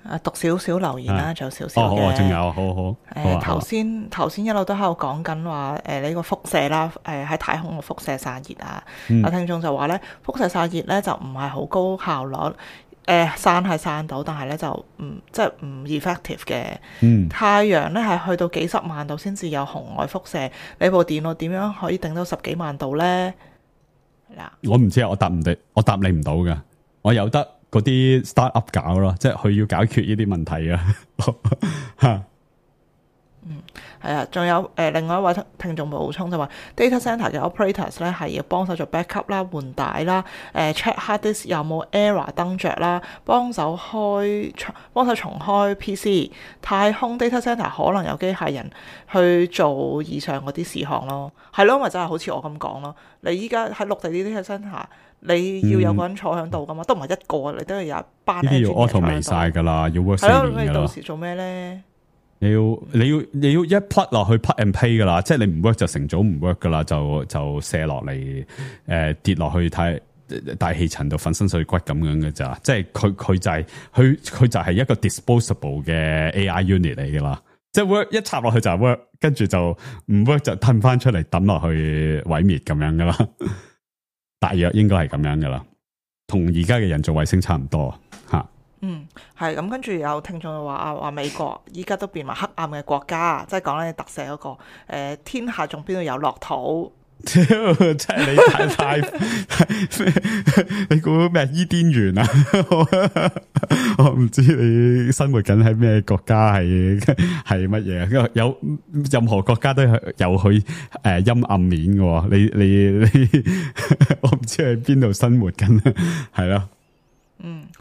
吓。讀少少留言啦，仲有少少嘅。仲有，好。頭先一路都喺度講緊話，呢個輻射啦，喺太空嘅輻射散熱啊，有聽眾就話咧，輻射散熱咧就唔係好高效率。散係散到，但係咧就即係唔 effective 嘅。太陽咧係去到幾十萬度先至有紅外輻射，你部電腦點樣可以頂到10幾萬度咧？嗱，我唔知啊，我答你唔到㗎，我有得嗰啲 start up 搞咯，即係佢要解決呢啲問題啊。係啊，仲有另外一位聽眾補充就話 data centre 嘅 operators 咧係要幫手做 backup 啦、換帶啦、check hard disk 有冇 error 登着啦、幫手重開 PC。太空 data centre 可能有機械人去做以上嗰啲事項咯，係咯，咪就係好似我咁講咯。你依家喺陸地呢啲 data centre，你要有個人坐喺度噶嘛，都唔係一個，你都要有一班。呢啲要 automate 晒㗎啦，要 work 4係咯，年㗎啦。你到時做咩咧？你要一 plug 落去 plug and play 噶啦，即係你唔 work 就成組唔 work 噶啦，就卸落嚟跌落去睇大氣層度粉身碎骨咁樣嘅咋，即係佢就係一個 disposable 嘅 AI unit 嚟噶啦，即係 work 一插落去就係 work，跟住就唔 work 就褪翻出嚟抌落去毀滅咁樣噶啦，大約應該係咁樣噶啦，同而家嘅人造衛星差唔多吓。係咁，跟住有聽眾話美國依家都變埋黑暗嘅國家，即係講咧特赦嗰個天下仲邊度有樂土？即係你太你估咩伊甸園啊？我唔知你生活緊喺咩國家，係乜嘢？有任何國家都有佢陰暗面嘅。你我唔知喺邊度生活緊，係咯。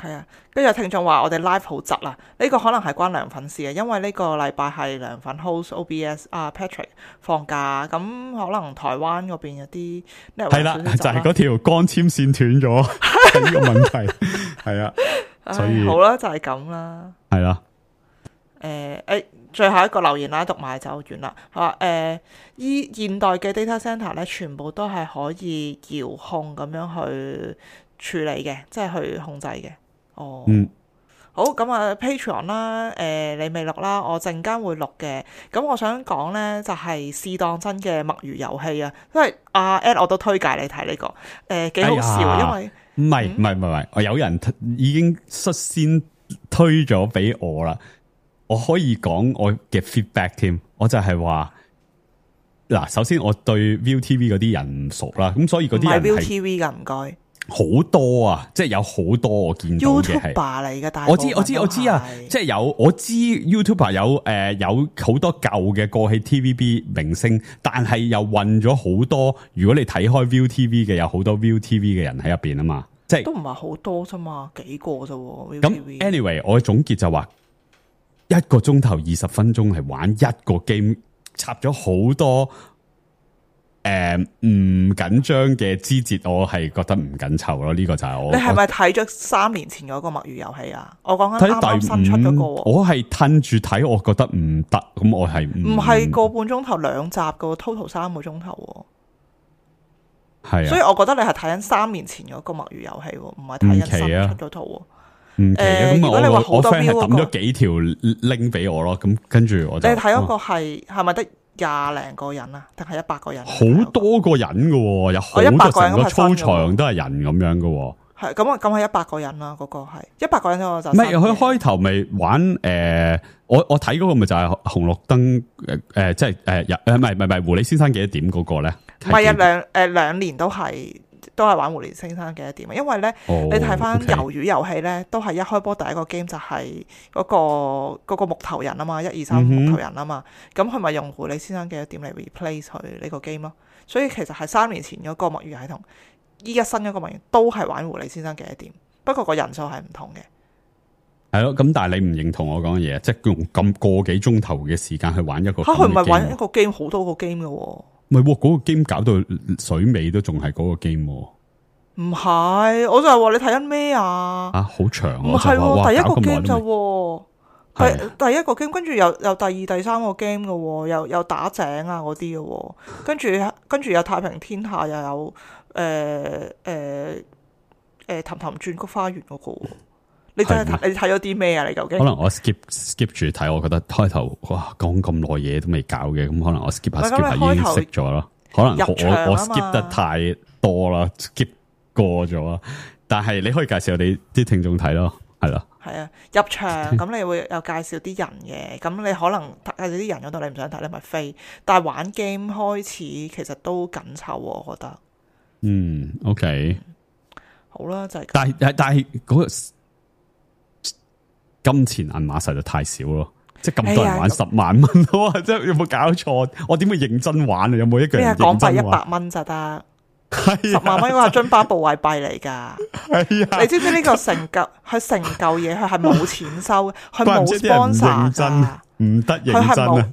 係啊，跟住有聽眾話我哋 live 好窒啊，呢個可能係關涼粉事嘅，因為呢個禮拜係涼粉 host OBS Patrick 放假，咁可能台灣嗰邊有啲係啦，就係嗰條光纖線斷咗，係呢個問題，係啊，所以好啦，就係咁啦，係啦，最後一個留言啦，讀埋就完啦。話現代嘅 data center 咧，全部都係可以遙控咁樣去處理嘅，即係去控制嘅。好，咁啊 Patreon 啦，你未錄啦，我陣間會錄嘅。咁我想講呢，就係試當真嘅墨魚遊戲啊，因為Ed 我都推介你睇呢個，幾好笑，因為唔係，我有人已經率先推咗俾我啦，我可以講我嘅 feedback 添，我就係話嗱，首先我對 ViuTV 嗰啲人唔熟啦，咁所以嗰啲人係 ViuTV 噶，唔該。好多啊，即係有好多我見到嘅係 YouTuber 嚟嘅，但我知啊，即係我知 YouTuber 有好多舊嘅過氣 TVB 明星，但係又混咗好多。如果你睇開 ViuTV 嘅，有好多 ViuTV 嘅人喺入邊啊嘛，即係都唔係好多啫嘛，幾個啫。咁 anyway， 我嘅總結就話1個鐘頭20分鐘係玩一個 game， 插咗好多。唔緊張嘅枝節，我係覺得唔緊湊咯。呢個就係我。你係咪睇咗3年前嗰個墨魚遊戲啊？我講緊啱啱新出嗰個。我係褪住睇，我覺得唔得。咁我係唔係個半鐘頭2集噶 ，total 3個鐘頭。係啊，所以我覺得你係睇緊3年前嗰個墨魚遊戲，唔係睇緊新出嗰套。唔奇啊！咁如果你話好多 friend 係抌咗幾條 link 俾我咯。咁跟住我就。你睇嗰個係咪得20零個人啊？定係100個人？好多個人噶，有好多成個操場都係人咁樣噶。係咁係100個人啦。嗰個係100個人我就。唔係佢開頭咪玩我睇嗰個咪就係紅綠燈即係唔係狐狸先生幾多點嗰個咧？唔係啊，兩年都係玩狐狸先生幾多點啊？因為咧，你睇翻魷魚遊戲咧，都係一開波第一個 game 就係嗰個木頭人啊嘛，1、2、3木頭人啊嘛，咁佢咪用狐狸先生幾多點嚟 replace 佢呢個 game 咯？所以其實係3年前嗰個墨魚系統，依家新嗰個墨魚都係玩狐狸先生幾多點，不過個人數係唔同嘅。係咯，咁但係你唔認同我講嘅嘢，即係用咁個幾鐘頭嘅時間去玩一個佢唔係玩一個 game 好多個 game 嘅喎。唔係嗰個 game 搞到水尾都仲係嗰個 game。唔係，我就係話你睇緊咩啊？好長。唔係，第一個 game 就第一個 game， 跟住有第2、第3個 game 嘅，有打井啊嗰啲嘅，跟住有太平天下，又有氹氹轉菊花園嗰個。你真係你睇咗啲咩啊？你究竟？可能我 skip 住睇，我覺得開頭哇講咁耐嘢都未搞嘅，咁可能我 skip 下已經識咗咯。可能我 skip 得太多啦 ，skip 過咗。但係你可以介紹我哋啲聽眾睇咯，係咯。係啊，入場咁你會有介紹啲人嘅，咁你可能介紹啲人嗰度你唔想睇，你咪飛。但係玩 game 開始其實都緊湊，我覺得。OK。好啦，就係。但係嗰個金錢銀碼實在太少咯。即係咁多人玩10萬蚊，哇！即係有冇搞錯？我點會認真玩啊？有冇一個人咩港幣認真玩？ 100蚊就得係，10萬蚊嗰個係津巴布韋幣嚟㗎。係啊，你知唔知呢個成嚿嘢佢係冇錢收嘅，佢冇怪唔知啲人唔認 sponsor 真㗎。唔得佢係冇認真啊！，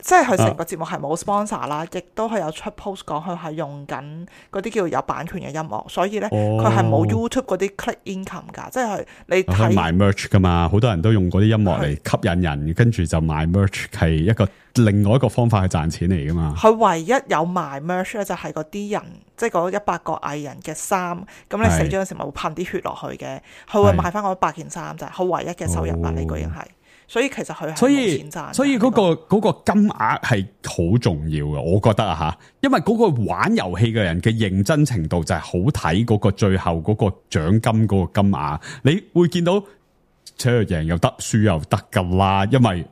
即係佢成個節目係冇 sponsor 啦，亦都係有出 post 講佢係用緊嗰啲叫有版權嘅音樂，所以咧佢係冇 YouTube 嗰啲 click income 㗎，即係你佢睇賣 merch 噶嘛，好多人都用嗰啲音樂嚟吸引人，跟住就賣 merch 係一個另外一個方法去賺錢嚟噶嘛。佢唯一有賣 merch 咧，就係嗰啲人，即係嗰100個藝人嘅衫，咁你死咗嗰時咪會噴啲血落去嘅，佢會賣翻嗰100件衫咋，佢唯一嘅收入啦，呢個已經係。所以其實佢係冇錢賺，所以嗰個金額係好重要嘅，我覺得啊吓，因為嗰個玩遊戲嘅人嘅認真程度就係好睇嗰個最後嗰個獎金嗰個金額，你會見到，贏又得，輸又得噶啦，因為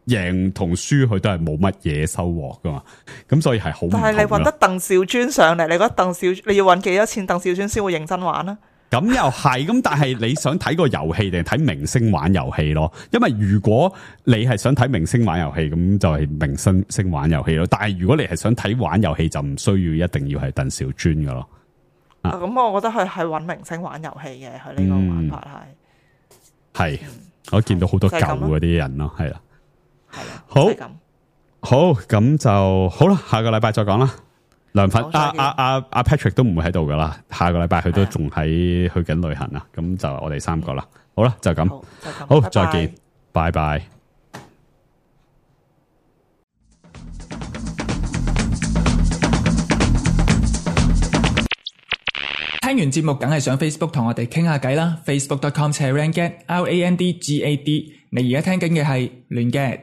贏同輸佢都係冇乜嘢收穫噶嘛，咁所以係好唔同咯。但係你揾得鄧兆尊上嚟，你覺得你要揾幾多錢鄧兆尊先會認真玩啊？咁又係，咁但係你想睇個遊戲定係睇明星玩遊戲咯？因為如果你係想睇明星玩遊戲，咁就係明星玩遊戲咯。但係如果你係想睇玩遊戲，就唔需要一定要係鄧兆尊噶咯。咁我覺得佢係揾明星玩遊戲嘅，佢呢個玩法係，我見到好多舊嗰啲人咯，係啦，係啦，好，就係咁好，咁就好啦，下個禮拜再講啦。梁粉阿 Patrick 都唔會喺度噶啦，下個禮拜佢都仲喺去緊旅行啊，咁就我哋3個啦。好啦，就咁，好，再見，拜拜。聽完節目梗係上 Facebook 同我哋傾下偈啦，facebook.com/randgad，RANDGAD。你而家聽緊嘅係亂 gad。